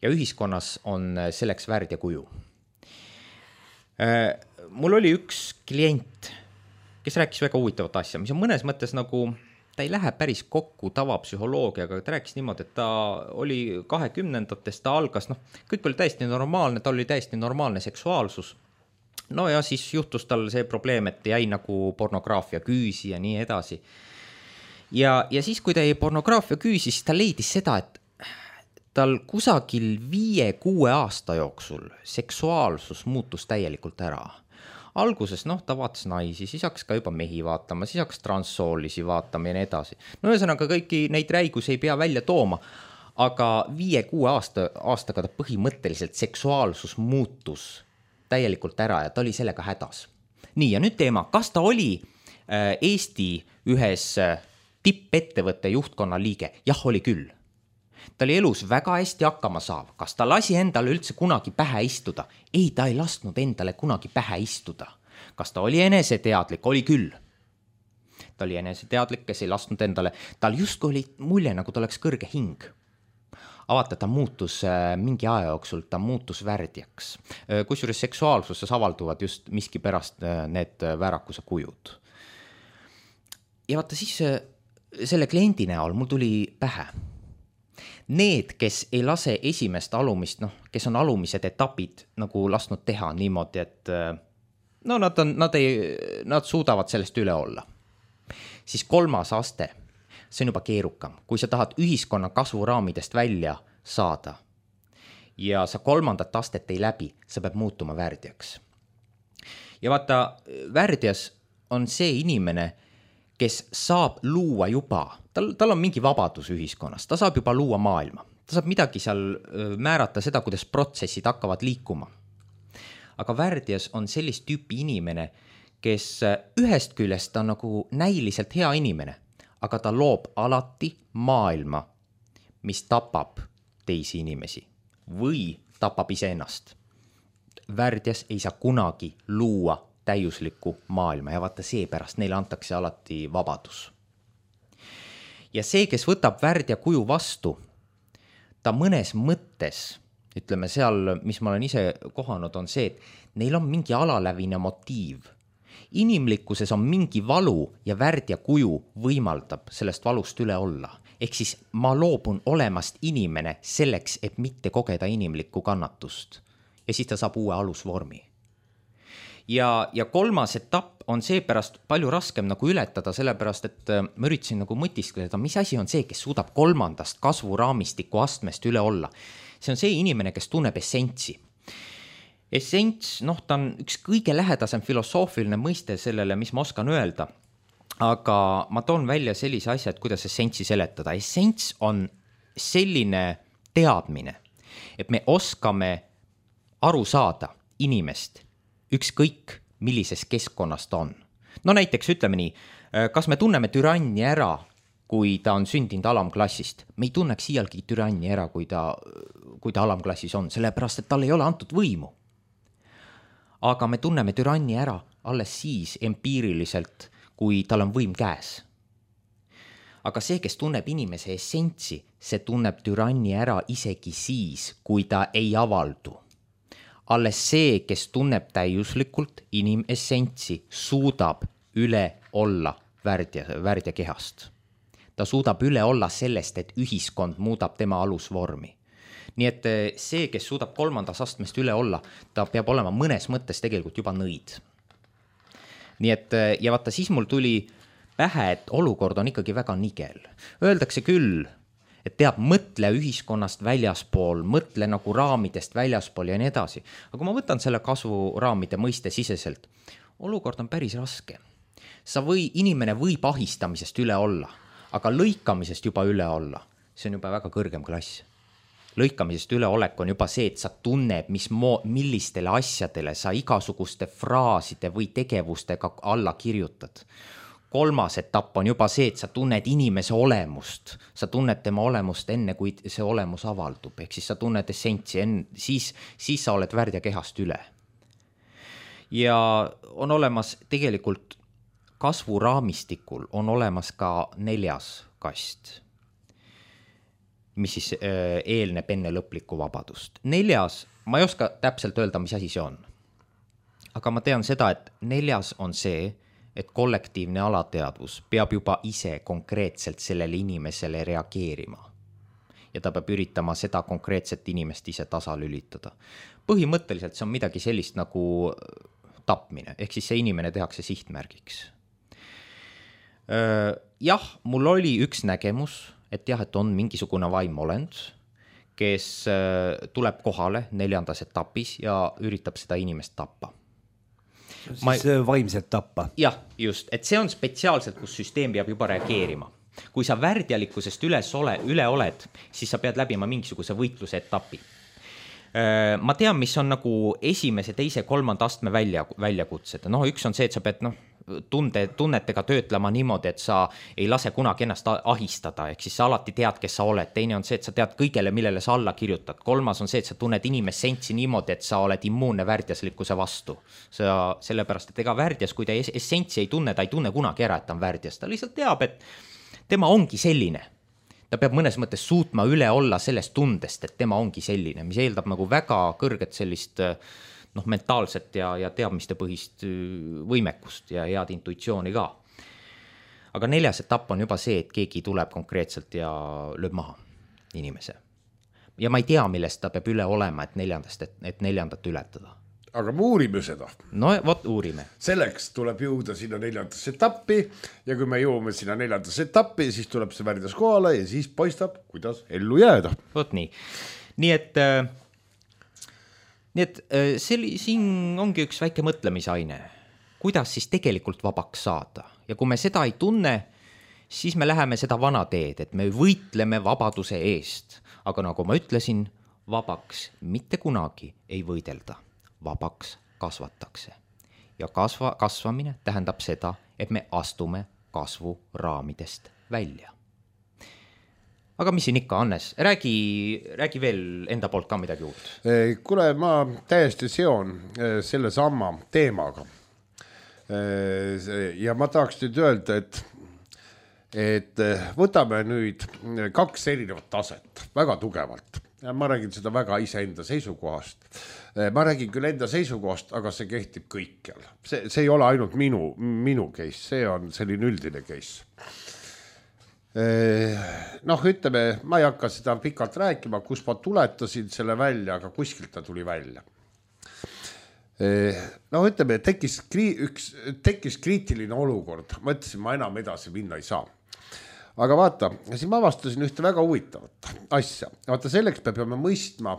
Ja ühiskonnas on selleks värdja kuju. Mul oli üks klient, kes rääkis väga huvitavat asja, mis on mõnes mõttes nagu, ta ei lähe päris kokku tavapsühholoogiaga, ta rääkis niimoodi, et ta oli kahekümnendatest, ta algas, noh, kõik oli täiesti normaalne, ta oli täiesti normaalne seksuaalsus. No ja siis juhtus tal see probleem, et jäi nagu pornograafia küüsi ja nii edasi. Ja, ja siis, kui ta jäi pornograafia küüsi, siis ta leidis seda, et tal kusagil viie kuue aasta jooksul seksuaalsus muutus täielikult ära. Alguses, noh, ta vaatas naisi, siis hakkas ka juba mehi vaatama, siis hakkas transsoolisi vaatama ja nii edasi. No ühesõnaga kõiki neid räigusi ei pea välja tooma, aga viie kuue aasta, aastaga ta põhimõtteliselt seksuaalsus muutus täielikult ära ja ta oli sellega hädas. Nii, ja nüüd teema, kas ta oli Eesti ühes tippettevõtte juhtkonna liige? Jah, oli küll. Ta oli elus väga hästi hakkama saav. Kas ta lasi endale üldse kunagi pähe istuda? Ei, ta ei lasknud endale kunagi pähe istuda. Kas ta oli eneseteadlik? Oli küll. Ta oli eneseteadlik, kes ei lasknud endale. Tal just oli mulje, nagu ta oleks kõrge hing. Avata, ta muutus mingi aja jooksul, ta muutus värdjaks. Kusjuures seksuaalsuses avalduvad just miski pärast need väärakuse kujud. Ja vaata siis selle kliendi näol mul tuli pähe. Need, kes ei lase esimest alumist, noh, kes on alumised etapid nagu lasknud teha niimoodi, et no nad, on, nad, ei, nad suudavad sellest üle olla. Siis kolmas aste, see on juba keerukam. Kui sa tahad ühiskonna kasvuraamidest välja saada ja sa kolmandat astet ei läbi, sa peab muutuma värdjaks. Ja vaata, värdjas on see inimene, kes saab luua juba, tal, tal on mingi vabadus ühiskonnas, ta saab juba luua maailma. Ta saab midagi seal määrata seda, kuidas protsessid hakkavad liikuma. Aga värdjas on sellist tüüpi inimene, kes ühest küljest ta on nagu näiliselt hea inimene, aga ta loob alati maailma, mis tapab teisi inimesi või tapab iseennast. Värdjas ei saa kunagi luua täiuslikku maailma ja vaata seepärast neile antakse alati vabadus. Ja see, kes võtab värdja kuju vastu, ta mõnes mõttes, ütleme seal, mis ma olen ise kohanud, on see, et neil on mingi alalävine motiiv. Inimlikkuses on mingi valu ja värdja kuju võimaldab sellest valust üle olla. Ehk siis ma loobun olemast inimene selleks, et mitte kogeda inimlikku kannatust. Ja siis ta saab uue alusvormi. Ja, ja kolmas etapp on seepärast palju raskem nagu ületada, sellepärast, et ma üritasin nagu mõtiskleda, mis asi on see, kes suudab kolmandast kasvuraamistiku astmest üle olla. See on see inimene, kes tunneb essentsi. Essents, noh, ta on üks kõige lähedasem filosoofiline mõiste sellele, mis ma oskan öelda, aga ma toon välja sellise asja, et kuidas essentsi seletada. Essents on selline teadmine, et me oskame aru saada inimest, ükskõik millises keskkonnas ta on. No näiteks ütleme nii, kas me tunneme türanni ära, kui ta on sündinud alamklassist? Me ei tunneks iialgi türanni ära, kui ta, kui ta alamklassis on, sellepärast, et tal ei ole antud võimu. Aga me tunneme türanni ära alles siis empiiriliselt, kui tal on võim käes. Aga see, kes tunneb inimese essentsi, see tunneb türanni ära isegi siis, kui ta ei avaldu. Alles see, kes tunneb täiuslikult inimessentsi, suudab üle olla värdja, värdja kehast. Ta suudab üle olla sellest, et ühiskond muudab tema alusvormi. Nii et see, kes suudab kolmandas astmest üle olla, ta peab olema mõnes mõttes tegelikult juba nõid. Nii et, ja vaata, siis mul tuli pähe, et olukord on ikkagi väga nigel. Öeldakse küll, et teab, mõtle ühiskonnast väljaspool, mõtle nagu raamidest väljaspool ja nii edasi. aga kui ma võtan selle kasvuraamide mõiste siseselt, olukord on päris raske. Sa või, inimene võib ahistamisest üle olla, aga lõikamisest juba üle olla, see on juba väga kõrgem klass. Lõikamisest üleolek on juba see, et sa tunned, mis mo- millistele asjadele sa igasuguste fraaside või tegevustega alla kirjutad. Kolmas etapp on juba see, et sa tunned inimese olemust. Sa tunned tema olemust enne, kui see olemus avaldub. Ehk siis sa tunned essentsi, enne, siis, siis sa oled värdja kehast üle. Ja on olemas tegelikult kasvuraamistikul on olemas ka neljas kast, mis siis äh, eelneb enne lõplikku vabadust. Neljas, ma ei oska täpselt öelda, mis asi see on. Aga ma tean seda, et neljas on see, et kollektiivne alateadvus peab juba ise konkreetselt sellele inimesele reageerima. Ja ta peab üritama seda konkreetset inimest ise tasalülitada. Põhimõtteliselt see on midagi sellist nagu tapmine, ehk siis see inimene tehakse sihtmärgiks. Äh, jah, mul oli üks nägemus, et jah, et on mingisugune vaimolend, kes tuleb kohale neljandas etapis ja üritab seda inimest tappa. Siis Ma... vaimselt tappa. Jah, just, et see on spetsiaalselt, kus süsteem peab juba reageerima. Kui sa värdjalikkusest üles ole, üle oled, siis sa pead läbima mingisuguse võitluse etapi. Ma tean, mis on nagu esimese, teise, kolmanda astme välja, väljakutsed. No, üks on see, et sa pead, noh, tunde, tunnetega töötlema niimoodi, et sa ei lase kunagi ennast ahistada, ehk siis sa alati tead, kes sa oled. Teine on see, et sa tead kõigele, millele sa alla kirjutad. Kolmas on see, et sa tunned inimessentsi niimoodi, et sa oled immuunne värdjaslikkuse vastu. Sa, sellepärast, et ega värdjas, kui ta essentsi ei tunne, ta ei tunne kunagi ära, et ta on värdjas. Ta lihtsalt teab, et tema ongi selline. Ta peab mõnes mõttes suutma üle olla sellest tundest, et tema ongi selline, mis eeldab nagu väga kõrget sellist noh, mentaalset ja, ja teadmiste põhist võimekust ja head intuitsiooni ka. Aga neljas etapp on juba see, et keegi tuleb konkreetselt ja lööb maha inimese. Ja ma ei tea, millest ta peab üle olema, et, neljandast, et, et neljandat ületada. Aga me uurime seda. No vot, uurime. Selleks tuleb jõuda sinna neljandasse etappi ja kui me jõuame sinna neljandasse etappi, siis tuleb see värdjas kohale ja siis paistab, kuidas ellu jääda. Vot nii. Nii et, nii et selli, siin ongi üks väike mõtlemisaine. Kuidas siis tegelikult vabaks saada? Ja kui me seda ei tunne, siis me läheme seda vana teed, et me võitleme vabaduse eest. Aga nagu ma ütlesin, vabaks mitte kunagi ei võidelda. Vabaks kasvatakse. Ja kasva, kasvamine tähendab seda, et me astume kasvu raamidest välja. Aga mis siin ikka, Hannes? Räägi, räägi veel enda poolt ka midagi uut. Kuule, ma täiesti seon selle samma teemaga. Ja ma tahaks nüüd öelda, et, et võtame nüüd kaks erinevat taset väga tugevalt. Ma räägin seda väga iseenda seisukohast. Ma räägin küll enda seisukohast, aga see kehtib kõikjal. See, see ei ole ainult minu, minu case, see on selline üldine case. Noh, ütleme, ma ei hakka seda pikalt rääkima, kus ma tuletasin selle välja, aga kuskilt ta tuli välja. Noh, ütleme, tekkis, üks, tekkis kriitiline olukord. Ma ütlesin, ma enam edasi minna ei saa. Aga vaata, siis ma avastasin ühte väga huvitavat asja. Vaata, selleks me peame mõistma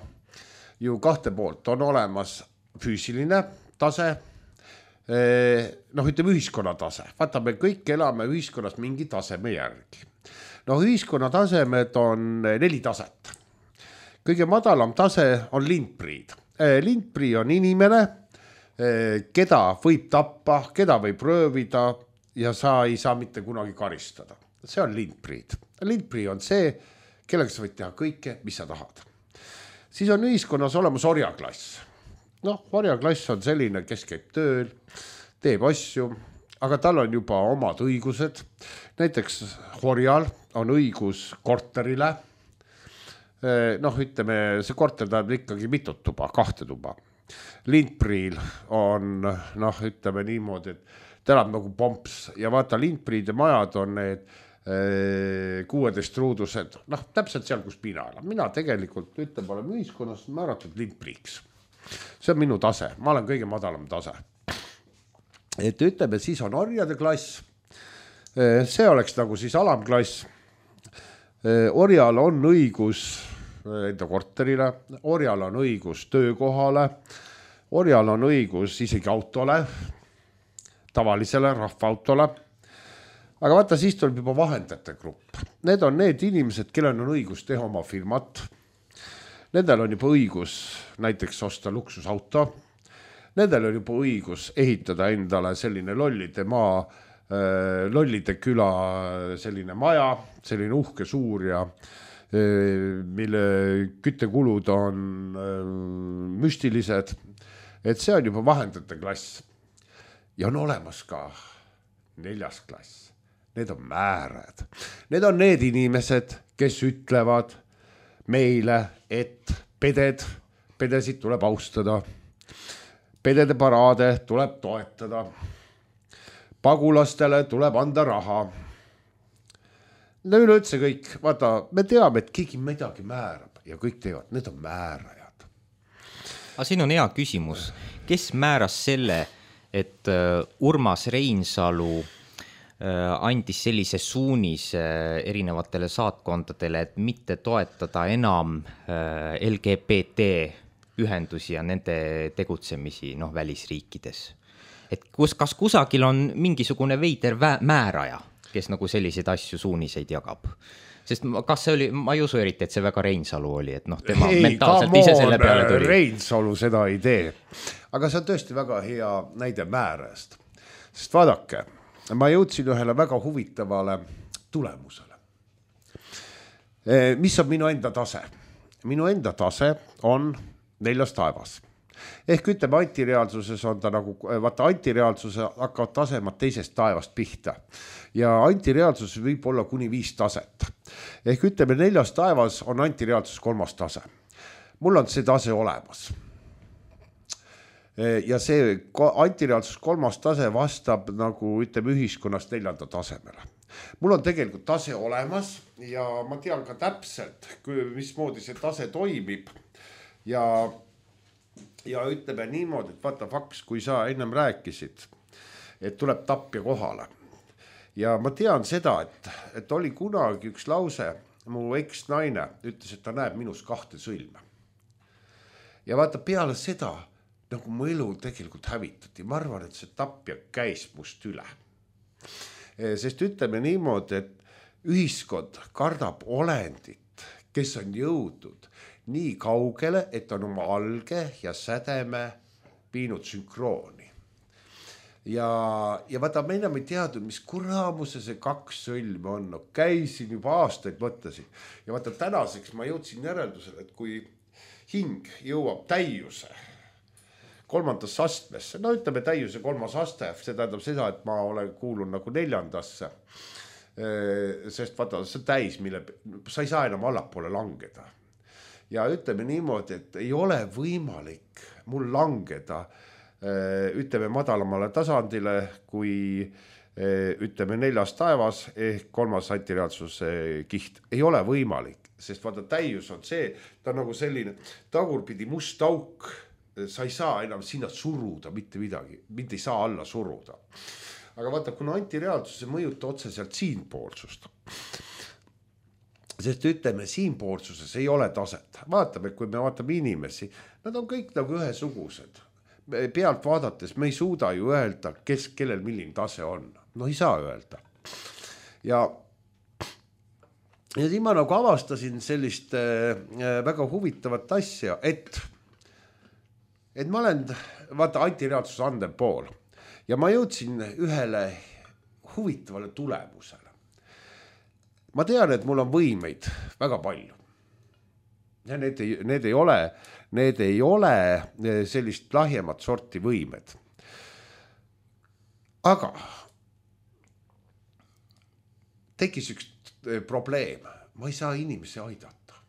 ju kahte poolt. On olemas füüsiline tase, noh, ütleme ühiskonna tase. Vaata, me kõik elame ühiskonnas mingi taseme järgi. No ühiskonna tasemed on neli taset. Kõige madalam tase on lindpriid. Lindprii on inimene, keda võib tappa, keda võib röövida ja sa ei saa mitte kunagi karistada. See on lindpriid. Lindprii on see, kellega sa võid teha kõike, mis sa tahad. Siis on ühiskonnas olemas orjaklass. Noh, orjaklass on selline, kes käib tööl, teeb asju, aga tal on juba omad õigused. Näiteks orjal on õigus korterile. Noh, ütleme, see korter tahab ikkagi mitut tuba, kahte tuba. Lindpriil on, noh, ütleme niimoodi, et ta elab nagu pomps ja vaata, lindpriide majad on need kuueteist ruudused, noh, täpselt seal, kus mina elan. Mina tegelikult ütleb, olen ühiskonnas määratud lindpriiks. See on minu tase, ma olen kõige madalam tase. Et ütleme, siis on orjade klass, see oleks nagu siis alamklass. orjal on õigus enda korterile, orjal on õigus töökohale, orjal on õigus isegi autole, tavalisele rahvaautole. Aga vaata, siis tuleb juba vahendajate grupp. Need on need inimesed, kellel on õigus teha oma firmat. Nendel on juba õigus näiteks osta luksusauto. Nendel on juba õigus ehitada endale selline lollide maa, lollide küla selline maja, selline uhke suur ja mille küttekulud on müstilised. Et see on juba vahendajate klass. Ja on olemas ka neljas klass. Need on määrad. Need on need inimesed, kes ütlevad meile, et peded, pedesid tuleb austada. Pedede paraade tuleb toetada. Pagulastele tuleb anda raha. No üleüldse kõik, vaata, me teame, et keegi midagi määrab ja kõik teevad, need on määrajad. Aga siin on hea küsimus. Kes määras selle, et Urmas Reinsalu andis sellise suunis erinevatele saatkondadele, et mitte toetada enam L G B T ühendusi ja nende tegutsemisi noh, välisriikides. Et kus, kas kusagil on mingisugune veider määraja, kes nagu selliseid asju suuniseid jagab? Sest kas see oli, ma ei usu eriti, et see väga Reinsalu oli, et noh, tema ei, mentaalselt ise selle peale tuli. Reinsalu seda ei tee. Aga see on tõesti väga hea näide määrajast. Sest vaadake, ma jõudsin ühele väga huvitavale tulemusele. Mis on minu enda tase? Minu enda tase on neljas taevas. Ehk ütleme, antireaalsuses on ta nagu, vaata antireaalsuse hakkavad tasemad teisest taevast pihta. Ja antireaalsus võib olla kuni viis taset. Ehk ütleme, neljas taevas on antireaalsus kolmas tase. Mul on see tase olemas. Ja see antireaalsus kolmas tase vastab nagu ütleme ühiskonnast neljanda tasemele. Mul on tegelikult tase olemas ja ma tean ka täpselt, mismoodi see tase toimib. Ja, ja ütleme niimoodi, et vaata faks, kui sa ennem rääkisid, et tuleb tapja kohale. Ja ma tean seda, et, et oli kunagi üks lause, mu eks-naine ütles, et ta näeb minus kahte sõlme. Ja vaata peale seda, nagu mu elu tegelikult hävitati. Ma arvan, et see tapja käis must üle. Sest ütleme niimoodi, et ühiskond kardab olendit, kes on jõudnud nii kaugele, et on oma alge ja sädeme viinud sünkrooni. Ja, ja vaata, me enam ei teadnud, mis kuramuse see kaks sõlme on. No, käisin juba aastaid mõtlesin. Ja vaata, tänaseks ma jõudsin järeldusele, et kui hing jõuab täiuse, kolmandasse astmesse, no ütleme täiuse kolmas aste, see tähendab seda, et ma olen kuulun nagu neljandasse, sest vaata, see täis, mille sa ei saa enam allapoole langeda. Ja ütleme niimoodi, et ei ole võimalik mul langeda, ütleme madalamale tasandile, kui ütleme neljas taevas ehk kolmas antireaalsuse kiht. Ei ole võimalik, sest vaata, täius on see, ta on nagu selline tagurpidi must auk, sa ei saa enam sinna suruda mitte midagi, mind ei saa alla suruda. Aga vaata, kuna antireaalsus ei mõjuta otseselt siinpoolsust, sest ütleme, siinpoolsuses ei ole taset. Vaatame, kui me vaatame inimesi, nad on kõik nagu ühesugused. Pealt vaadates me ei suuda ju öelda, kes, kellel milline tase on. No ei saa öelda. Ja, ja siin ma nagu avastasin sellist äh, väga huvitavat asja, et et ma olen, vaata, antireaalsuse andev pool ja ma jõudsin ühele huvitavale tulemusele. Ma tean, et mul on võimeid väga palju. Ja need ei, need ei ole, need ei ole sellist lahjemat sorti võimed. Aga tekkis üks probleem. Ma ei saa inimesi aidata.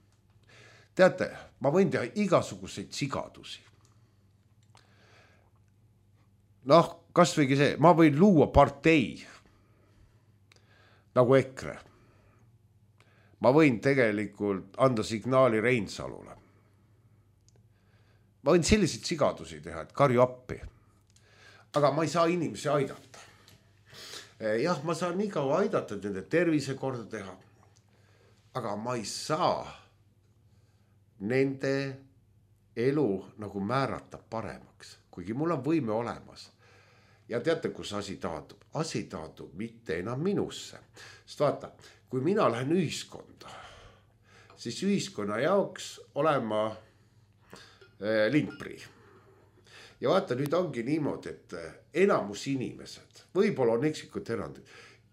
Teate, ma võin teha igasuguseid sigadusi. Noh, kas võigi see, ma võin luua partei nagu EKRE. Ma võin tegelikult anda signaali Reinsalule. Ma võin selliseid sigadusi teha, et karju appi. Aga ma ei saa inimesi aidata. Jah, ma saan nii kaua aidata, et nende tervise korda teha. aga ma ei saa nende elu nagu määrata paremaks, kuigi mul on võime olemas. Ja teate, kus asi taandub? Asi taandub mitte enam minusse. Sest vaata, kui mina lähen ühiskonda, siis ühiskonna jaoks olen ma äh, lindprii. Ja vaata, nüüd ongi niimoodi, et enamus inimesed, võib-olla on eksikud erandid,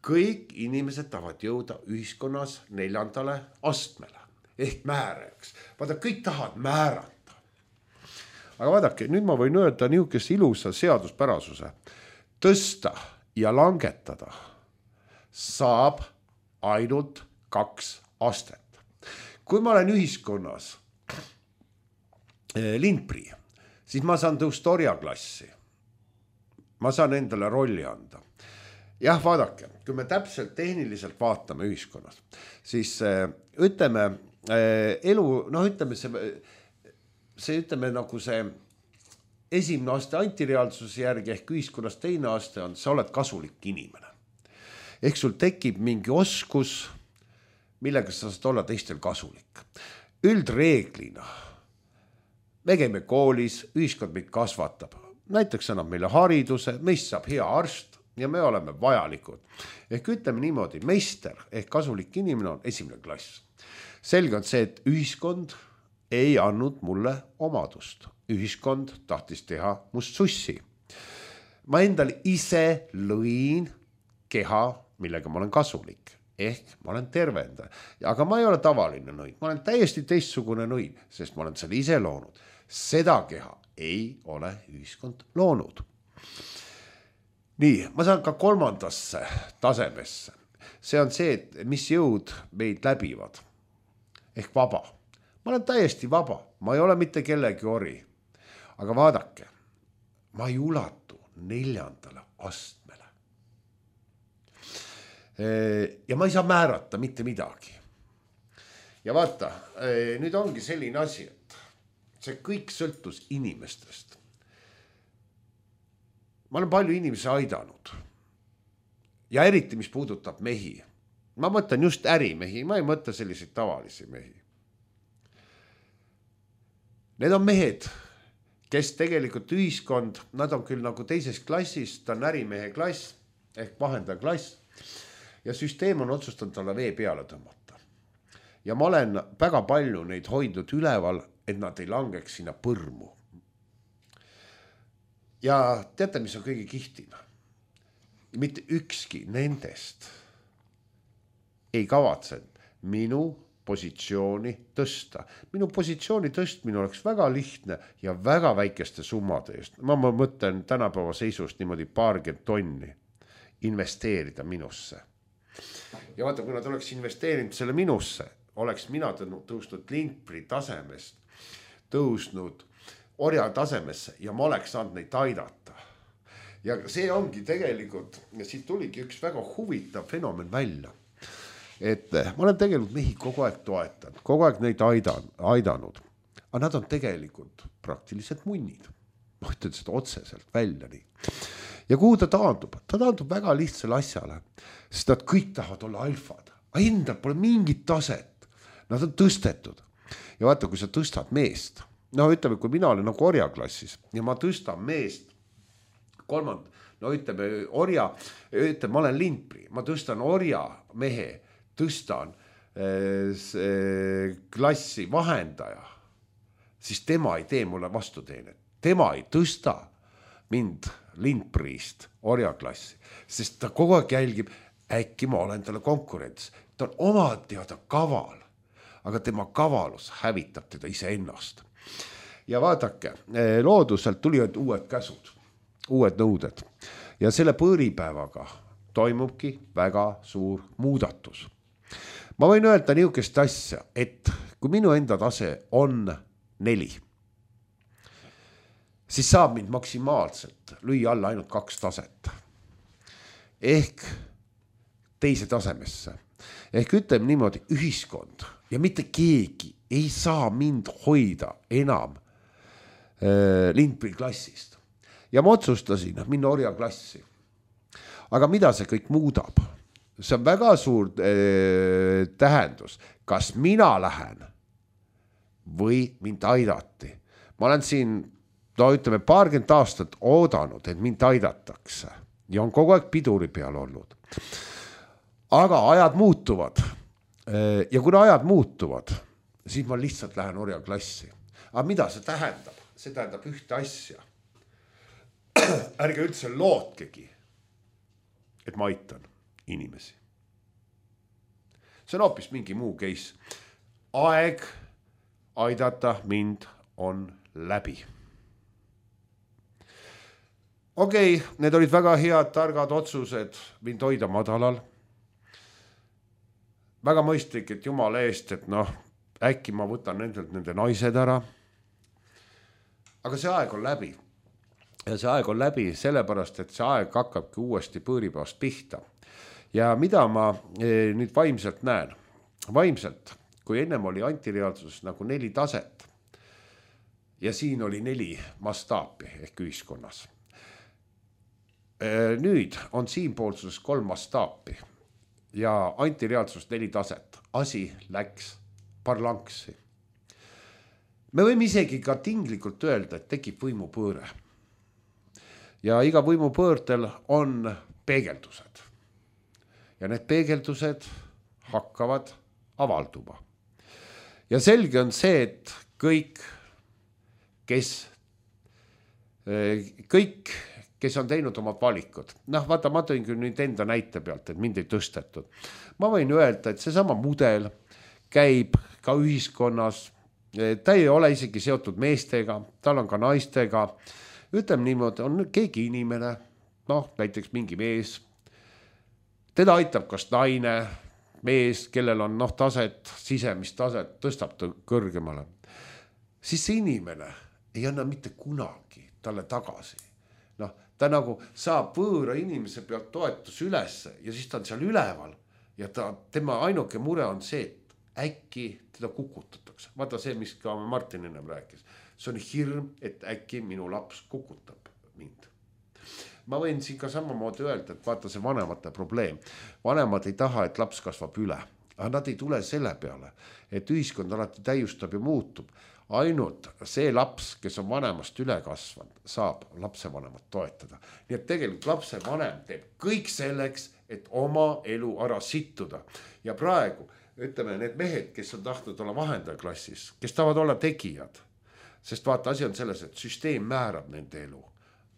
kõik inimesed tahavad jõuda ühiskonnas neljandale astmele ehk määrajaks. Vaata, kõik tahavad määrata. Aga vaadake, nüüd ma võin öelda niisugust ilusa seaduspärasuse. Tõsta ja langetada saab ainult kaks astet. Kui ma olen ühiskonnas lindprii, siis ma saan tõusta orjaklassi. Ma saan endale rolli anda. Jah, vaadake, kui me täpselt tehniliselt vaatame ühiskonnas, siis ütleme elu, noh ütleme see, see ütleme nagu see esimene aste antireaalsuse järgi ehk ühiskonnas teine aste on, sa oled kasulik inimene. Ehk sul tekib mingi oskus, millega sa saad olla teistel kasulik. Üldreeglina me käime koolis, ühiskond meid kasvatab. Näiteks annab meile hariduse, meist saab hea arst ja me oleme vajalikud. Ehk ütleme niimoodi, meister ehk kasulik inimene on esimene klass. Selge on see, et ühiskond ei andnud mulle omadust. Ühiskond tahtis teha must sussi. Ma endal ise lõin keha, millega ma olen kasulik. Ehk ma olen tervenda. Aga ma ei ole tavaline nõin. Ma olen täiesti teistsugune nõin, sest ma olen selle ise loonud. Seda keha ei ole ühiskond loonud. Nii, ma saan ka kolmandasse tasemesse. See on see, et mis jõud meid läbivad. Ehk vaba. Ma olen täiesti vaba. Ma ei ole mitte kellegi ori. Aga vaadake, ma ei ulatu neljandale astmele. Ja ma ei saa määrata mitte midagi. Ja vaata, nüüd ongi selline asi, et see kõik sõltus inimestest. Ma olen palju inimesi aidanud. Ja eriti, mis puudutab mehi. Ma mõtlen just ärimehi, ma ei mõtle selliseid tavalisi mehi. Need on mehed, kes tegelikult ühiskond, nad on küll nagu teises klassis, ta on ärimehe klass ehk vahendaja klass ja süsteem on otsustanud talle vee peale tõmmata. Ja ma olen väga palju neid hoidnud üleval, et nad ei langeks sinna põrmu. Ja teate, mis on kõige kihtim? Mitte ükski nendest ei kavatsenud minu positsiooni tõsta. Minu positsiooni tõstmine oleks väga lihtne ja väga väikeste summade eest. Ma mõtlen tänapäeva seisust niimoodi paarkümmend tonni investeerida minusse. Ja vaata, kui nad oleks investeerinud selle minusse, oleks mina tõusnud lindprii tasemest, tõusnud orja tasemesse ja ma oleks saanud neid aidata. Ja see ongi tegelikult, ja siit tuligi üks väga huvitav fenomen välja. Et ma olen tegelikult mehi kogu aeg toetanud, kogu aeg neid aidan, aidanud, aga nad on tegelikult praktiliselt munnid. Ma ütlen seda otseselt välja nii. Ja kuhu ta taandub? Ta taandub väga lihtsale asjale, sest nad kõik tahavad olla alfad. Aga endal pole mingit taset. Nad on tõstetud. Ja vaata, kui sa tõstad meest, no ütleme, kui mina olen nagu orjaklassis ja ma tõstan meest kolmand, no ütleme orja, ütleme, ma olen lindprii, ma tõstan orja mehe, tõstan äh, klassi vahendaja, siis tema ei tee mulle vastuteenet. Tema ei tõsta mind lindpriist orjaklassi, sest ta kogu aeg jälgib, äkki ma olen talle konkurents. Ta on oma teada kaval, aga tema kavalus hävitab teda ise ennast. Ja vaadake, looduselt tulivad uued käsud, uued nõuded ja selle põõripäevaga toimubki väga suur muudatus. Ma võin öelda niisugust asja, et kui minu enda tase on neli, siis saab mind maksimaalselt lüüa alla ainult kaks taset. Ehk teise tasemesse. Ehk ütleme niimoodi, ühiskond ja mitte keegi ei saa mind hoida enam äh, lindprii klassist. Ja ma otsustasin minna orja klassi. Aga mida see kõik muudab? see on väga suur äh, tähendus, kas mina lähen või mind aidati. Ma olen siin, no ütleme, paarkümmend aastat oodanud, et mind aidatakse ja on kogu aeg piduri peal olnud. Aga ajad muutuvad ja kuna ajad muutuvad, siis ma lihtsalt lähen orjaklassi. Aga mida see tähendab? See tähendab ühte asja. Ärge üldse lootkegi, et ma aitan inimesi. See on hoopis mingi muu case. Aeg aidata mind on läbi. Okei, okay, need olid väga head, targad otsused mind hoida madalal. Väga mõistlik, et Jumala eest, et noh, äkki ma võtan nendelt nende naised ära. Aga see aeg on läbi. Ja see aeg on läbi sellepärast, et see aeg hakkabki uuesti põõripäevast pihta. Ja mida ma nüüd vaimselt näen? Vaimselt, kui ennem oli antireaalsus nagu neli taset ja siin oli neli mastaapi ehk ühiskonnas. Nüüd on siinpoolsuses kolm mastaapi ja antireaalsus neli taset. Asi läks parlanksi. Me võime isegi ka tinglikult öelda, et tekib võimupõõre. Ja iga võimupõõrdel on peegeldused. Ja need peegeldused hakkavad avalduma. Ja selge on see, et kõik, kes, kõik, kes on teinud omad valikud. Noh, vaata, ma tõin küll nüüd enda näite pealt, et mind ei tõstetud. Ma võin öelda, et see sama mudel käib ka ühiskonnas. Ta ei ole isegi seotud meestega, tal on ka naistega. Ütleme niimoodi, on keegi inimene, noh, näiteks mingi mees. Teda aitab kas naine, mees, kellel on noh, taset, sisemist taset, tõstab ta kõrgemale. Siis see inimene ei anna mitte kunagi talle tagasi. Noh, ta nagu saab võõra inimese pealt toetus üles ja siis ta on seal üleval ja ta, tema ainuke mure on see, et äkki teda kukutatakse. Vaata see, mis ka Martin ennem rääkis. See on hirm, et äkki minu laps kukutab mind. Ma võin siin ka samamoodi öelda, et vaata see vanemate probleem. Vanemad ei taha, et laps kasvab üle. Aga nad ei tule selle peale, et ühiskond alati täiustab ja muutub. Ainult see laps, kes on vanemast üle kasvanud, saab lapsevanemat toetada. Nii et tegelikult lapsevanem teeb kõik selleks, et oma elu ära sittuda. Ja praegu, ütleme, need mehed, kes on tahtnud olla vahendajaklassis, kes tahavad olla tegijad, sest vaata, asi on selles, et süsteem määrab nende elu.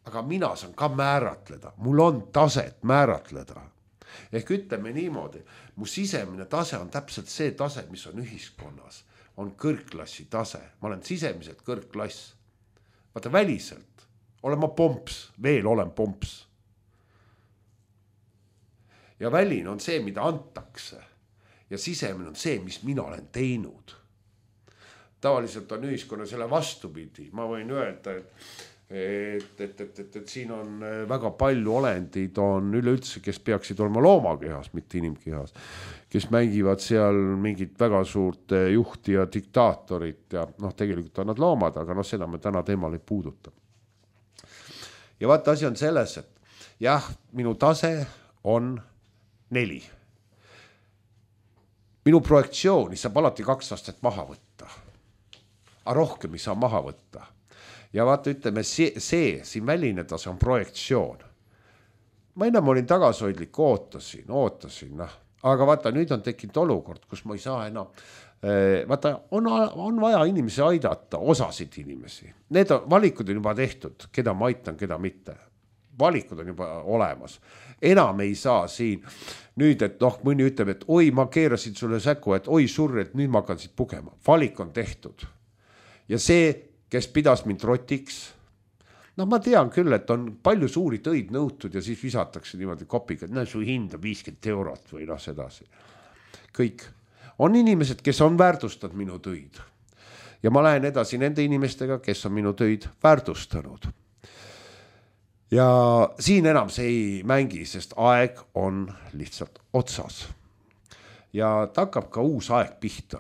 Aga mina saan ka määratleda, mul on taset määratleda. Ehk ütleme niimoodi, mu sisemine tase on täpselt see tase, mis on ühiskonnas, on kõrgklassi tase. Ma olen sisemiselt kõrgklass. Vaata väliselt, olen ma pomps, veel olen pomps. Ja väline on see, mida antakse. Ja sisemine on see, mis mina olen teinud. Tavaliselt on ühiskonna selle vastupidi. Ma võin öelda, et Et, et, et, et, et siin on väga palju olendid on üleüldse, kes peaksid olema loomakehas, mitte inimkehas, kes mängivad seal mingit väga suurt juhti ja diktaatorit ja noh, tegelikult on nad loomad, aga noh, seda me täna teemal ei puuduta. Ja vaata, asi on selles, et jah, minu tase on neli. Minu projektsiooni saab alati kaks astet maha võtta, aga rohkem ei saa maha võtta. Ja vaata, ütleme, see, see siin väline tase on projektsioon. Ma enam olin tagasoidlik, ootasin, ootasin, noh. Aga vaata, nüüd on tekkinud olukord, kus ma ei saa enam. Vaata, on, on vaja inimesi aidata, osasid inimesi. Need on, valikud on juba tehtud, keda ma aitan, keda mitte. Valikud on juba olemas. Enam ei saa siin nüüd, et noh, mõni ütleb, et oi, ma keerasin sulle säku, et oi surre, et nüüd ma hakkan siit pugema. Valik on tehtud. Ja see kes pidas mind rotiks. No ma tean küll, et on palju suuri tõid nõutud ja siis visatakse niimoodi kopiga, et no su hind on viiskümmend eurot või noh sedasi. Kõik. On inimesed, kes on väärtustanud minu tõid. Ja ma lähen edasi nende inimestega, kes on minu tõid väärtustanud. Ja siin enam see ei mängi, sest aeg on lihtsalt otsas. Ja ta hakkab ka uus aeg pihta.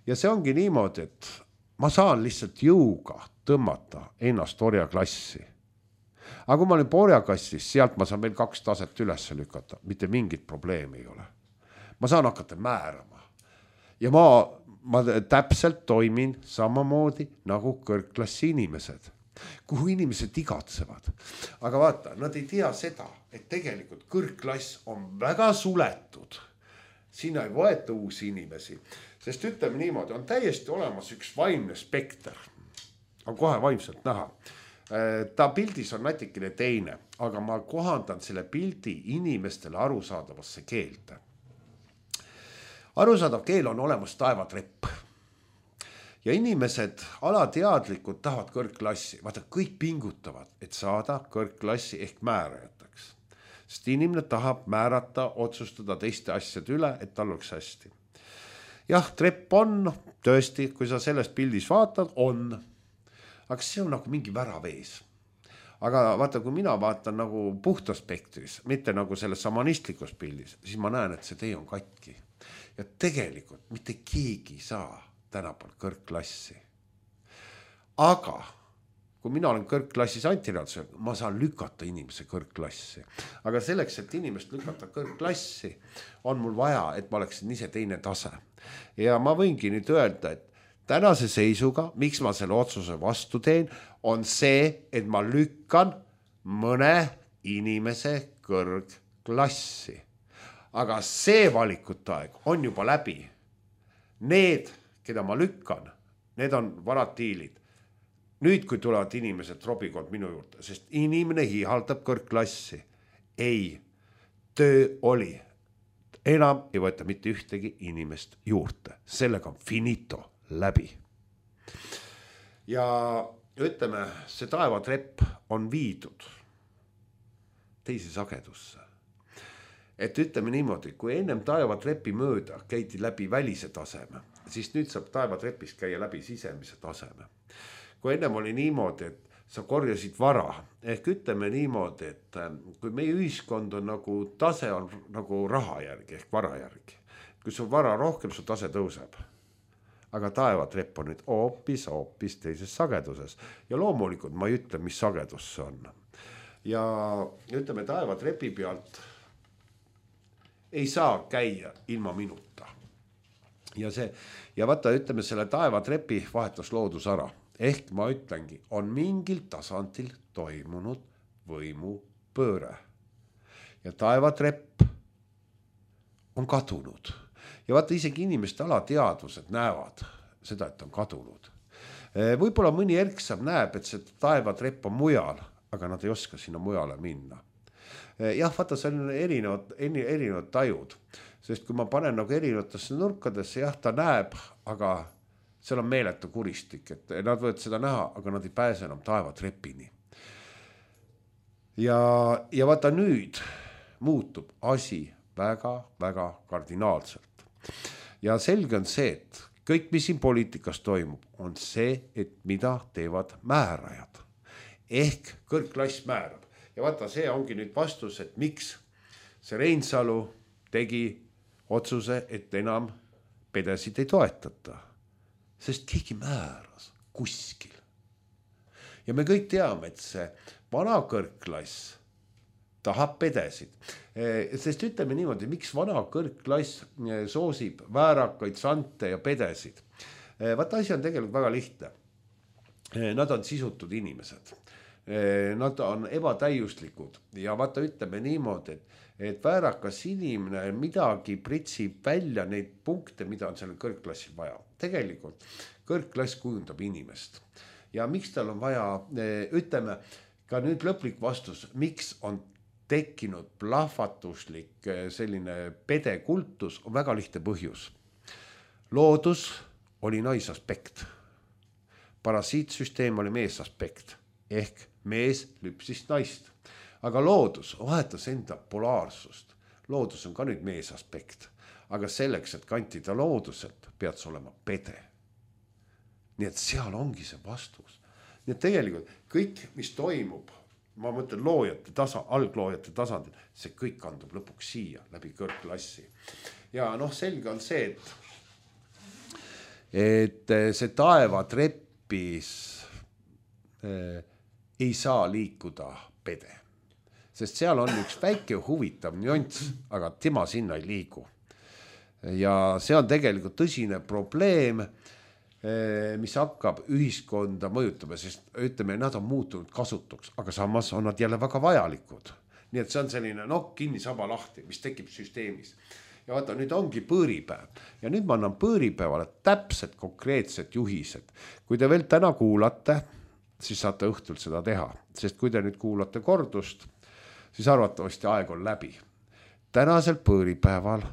Ja see ongi niimoodi, et ma saan lihtsalt jõuga tõmmata ennast orjaklassi. aga kui ma olin porjakastis, sealt ma saan veel kaks taset üles lükata, mitte mingit probleemi ei ole. Ma saan hakata määrama ja ma, ma täpselt toimin samamoodi nagu kõrgklassi inimesed, kuhu inimesed igatsevad. Aga vaata, nad ei tea seda, et tegelikult kõrgklass on väga suletud. Siin ei võeta uusi inimesi, sest ütleme niimoodi, on täiesti olemas üks vaimne spekter. On kohe vaimselt näha. Ta pildis on natikene teine, aga ma kohandan selle pildi inimestele arusaadavasse keelde. Arusaadav keel on olemas taevatrepp. Ja inimesed alateadlikud tahavad kõrgklassi. Vaata, kõik pingutavad, et saada kõrgklassi ehk määrajateks. Sest inimene tahab määrata, otsustada teiste asjade üle, et tal oleks hästi. Jah, trepp on, tõesti, kui sa sellest pildis vaatad, on. Aga see on nagu mingi värav ees. Aga vaata, kui mina vaatan nagu puhtaspektris, mitte nagu selles samanistlikus pildis, siis ma näen, et see tee on katki. Ja tegelikult mitte keegi saa tänapäeval kõrgklassi. Aga kui mina olen kõrgklassis antiraadusel, ma saan lükata inimese kõrgklassi. Aga selleks, et inimest lükata kõrgklassi, on mul vaja, et ma oleksin ise teine tase. Ja ma võingi nüüd öelda, et tänase seisuga, miks ma selle otsuse vastu teen, on see, et ma lükkan mõne inimese kõrgklassi. Aga see valikute aeg on juba läbi. Need, keda ma lükkan, need on varatiilid. Nüüd, kui tulevad inimesed robikond minu juurde, sest inimene hihaldab kõrgklassi. Ei, töö oli. Enam ei võeta mitte ühtegi inimest juurde. Sellega on finito läbi. Ja ütleme, see taevatrepp on viidud teise sagedusse. Et ütleme niimoodi, kui ennem taevatrepi mööda käidi läbi välise taseme, siis nüüd saab taevatrepis käia läbi sisemise taseme. Kui ennem oli niimoodi, et sa korjasid vara, ehk ütleme niimoodi, et kui meie ühiskond on nagu tase on nagu raha järgi ehk vara järgi. Kui sul vara rohkem, su tase tõuseb. Aga taevatrepp on nüüd hoopis, hoopis teises sageduses. Ja loomulikult ma ei ütle, mis sagedus see on. Ja ütleme, taevatrepi pealt ei saa käia ilma minuta. Ja, see, ja vaata, ütleme, selle taevatrepi vahetas loodus ära. Ehk ma ütlengi, on mingil tasandil toimunud võimu pööre. Ja taevatrepp on kadunud. Ja vaata, isegi inimeste alateadvused näevad seda, et on kadunud. Võib-olla mõni erksam näeb, et see taevatrepp on mujal, aga nad ei oska sinna mujale minna. Jah, vaata, see on erinevad, erinevad tajud. Sest kui ma panen nagu erinevatesse nurkadesse, jah, ta näeb, aga seal on meeletu kuristik, et nad võivad seda näha, aga nad ei pääse enam taevatrepini. Ja, ja vaata nüüd muutub asi väga, väga kardinaalselt. Ja selge on see, et kõik, mis siin poliitikas toimub, on see, et mida teevad määrajad. Ehk kõrgklass määrab. Ja vaata, see ongi nüüd vastus, et miks see Reinsalu tegi otsuse, et enam pedesid ei toetata. Sest keegi määras kuskil. Ja me kõik teame, et see vana kõrgklass tahab pedesid. Sest ütleme niimoodi, miks vana kõrgklass soosib väärakaid, sante ja pedesid. Vaata, asi on tegelikult väga lihtne. Nad on sisutud inimesed. Nad on ebatäiuslikud. Ja vaata, ütleme niimoodi, et et väärakas inimene midagi pritsib välja neid punkte, mida on sellel kõrgklassil vaja. Tegelikult kõrgklass kujundab inimest. Ja miks tal on vaja, ütleme, ka nüüd lõplik vastus, miks on tekkinud plahvatuslik selline pedekultus, on väga lihtne põhjus. Loodus oli naisaspekt. Parasiitsüsteem oli meesaspekt. Ehk mees lüpsis naist. Aga loodus vahetas enda polaarsust. Loodus on ka nüüd meesaspekt. Aga selleks, et kantida looduselt, pead sa olema pede. Nii et seal ongi see vastus. Nii et tegelikult kõik, mis toimub, ma mõtlen loojate tasa, algloojate tasandil, see kõik kandub lõpuks siia läbi kõrgklassi. Ja noh, selge on see, et, et see taevatrepis eh, ei saa liikuda pede. Sest seal on üks väike huvitav nüanss, aga tema sinna ei liigu. Ja see on tegelikult tõsine probleem, mis hakkab ühiskonda mõjutama, sest ütleme, nad on muutunud kasutuks, aga samas on nad jälle väga vajalikud. Nii et see on selline nokk kinni saba lahti, mis tekib süsteemis. Ja vaata, nüüd ongi põõripäev. Ja nüüd ma annan põõripäevale täpselt konkreetsed juhised. Kui te veel täna kuulate, siis saate õhtul seda teha. Sest kui te nüüd kuulate kordust, siis arvatavasti aeg on läbi. Tänasel põõripäeval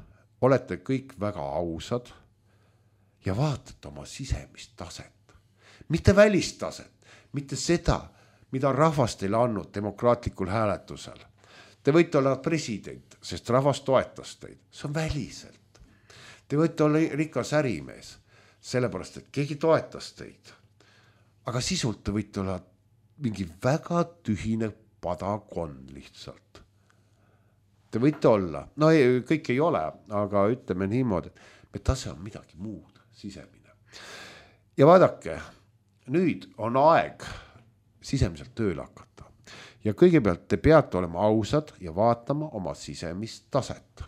olete kõik väga ausad ja vaatate oma sisemist taset. Mitte välistaset, mitte seda, mida rahvas teile andnud demokraatlikul hääletusel. Te võite olla president, sest rahvas toetas teid. See on väliselt. Te võite olla rikas ärimees, sellepärast, et keegi toetas teid. Aga sisult te võite olla mingi väga tühine padakond lihtsalt. Te võite olla, no ei, kõik ei ole, aga ütleme niimoodi, et me tase on midagi muud, sisemine. Ja vaadake, nüüd on aeg sisemiselt tööle hakata. Ja kõigepealt te peate olema ausad ja vaatama oma sisemist taset.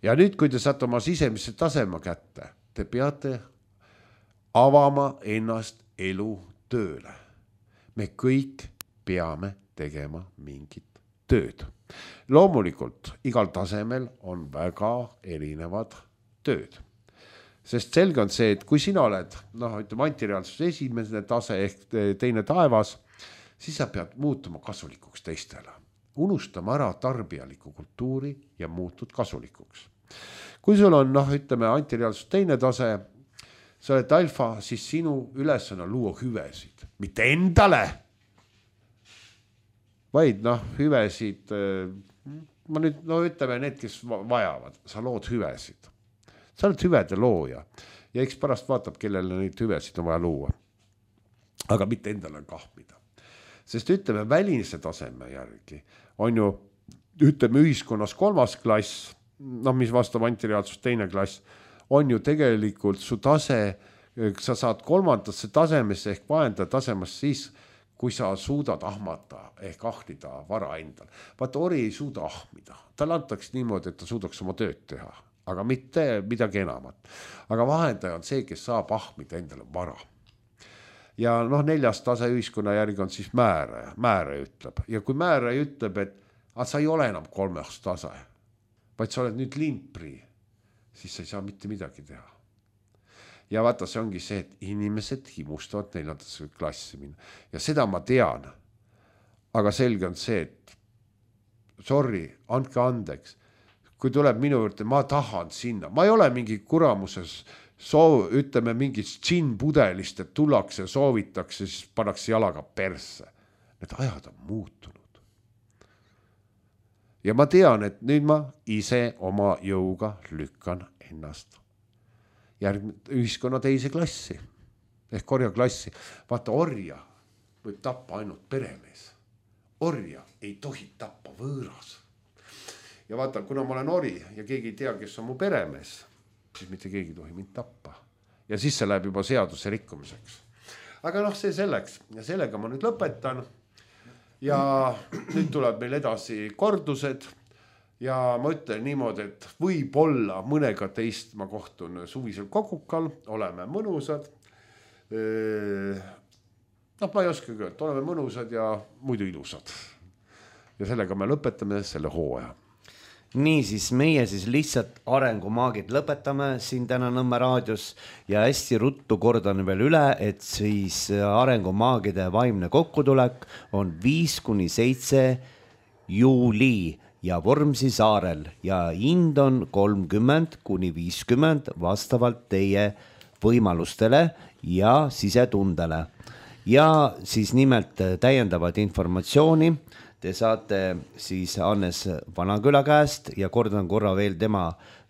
Ja nüüd, kui te saate oma sisemisse tasema kätte, te peate avama ennast elu tööle. Me kõik peame tegema mingit tööd. Loomulikult, igal tasemel on väga erinevad tööd. Sest selge on see, et kui sina oled, noh, ütleme, antireaalsus esimene tase ehk teine taevas, siis sa pead muutuma kasulikuks teistele. Unustama ära tarbijaliku kultuuri ja muutud kasulikuks. Kui sul on, noh, ütleme, antireaalsus teine tase, sa oled alfa, siis sinu ülesanne on luua hüvesid. Mitte endale, vaid, noh, hüvesid, ma nüüd, no ütleme, need, kes vajavad, sa lood hüvesid. Sa oled hüvede looja ja eks pärast vaatab, kellele neid hüvesid on vaja luua. Aga mitte endale kahmida. Sest ütleme, välise taseme järgi on ju, ütleme, ühiskonnas kolmas klass, noh, mis vastab antireaalsus teine klass, on ju tegelikult su tase, sa saad kolmandasse tasemesse ehk vahendaja tasemast siis, kui sa suudad ahmata ehk ahnida vara endal. Vaata, ori ei suuda ahmida. Tal antaks niimoodi, et ta suudaks oma tööd teha, aga mitte midagi enamat. Aga vahendaja on see, kes saab ahmida endale vara. Ja noh, neljas tase ühiskonna järgi on siis määraja. Määraja ütleb. Ja kui määraja ütleb, et a, sa ei ole enam kolmas tase, vaid sa oled nüüd limpri, siis sa ei saa mitte midagi teha. Ja vaata, see ongi see, et inimesed himustavad neljandasse klassi minna. Ja seda ma tean. Aga selge on see, et sorry, andke andeks. Kui tuleb minu juurde, ma tahan sinna. Ma ei ole mingi kuramuses soov, ütleme, mingist džinn-pudelist, et tullakse, soovitakse, siis pannakse jalaga persse. Need ajad on muutunud. Ja ma tean, et nüüd ma ise oma jõuga lükkan ennast järgmine ühiskonna teise klassi ehk orja klassi. Vaata, orja võib tappa ainult peremees. Orja ei tohi tappa võõras. Ja vaata, kuna ma olen ori ja keegi ei tea, kes on mu peremees, siis mitte keegi tohi mind tappa. Ja siis see läheb juba seaduse rikkumiseks. Aga noh, see selleks. Ja sellega ma nüüd lõpetan. Ja nüüd tuleb meil edasi kordused. Ja ma ütlen niimoodi, et võib-olla mõnega teist ma kohtun suvisel kogukal. Oleme mõnusad. Noh, ma ei oska öelda. Oleme mõnusad ja muidu ilusad. Ja sellega me lõpetame selle hooaja. Nii siis meie siis lihtsalt arengumaagid lõpetame siin täna Nõmme raadios ja hästi ruttu kordan veel üle, et siis arengumaagide vaimne kokkutulek on viis kuni seitse juuli ja Vormsi saarel ja hind on kolmkümmend kuni viiskümmend vastavalt teie võimalustele ja sisetundele. Ja siis nimelt täiendavat informatsiooni te saate siis Hannes Vanaküla käest ja kordan korra veel tema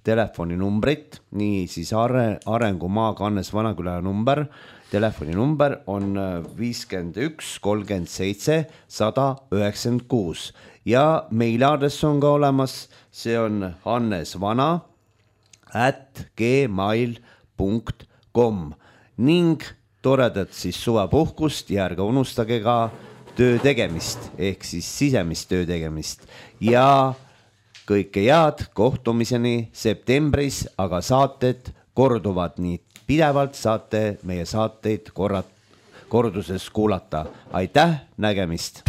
telefoninumbrit, nii siis arengumaaga Hannes Vanaküla number, telefoninumber on viiskümmend üks kolmkümmend seitse sada üheksakümmend kuus ja meiladress on ka olemas, see on hannesvana at gmail punkt com ning toredat siis suvepuhkust ja ärge unustage ka töö tegemist ehk siis sisemist töö tegemist ja kõike head, kohtumiseni septembris, aga saated korduvad nii pidevalt, saate meie saateid korrat, korduses kuulata. Aitäh, nägemist!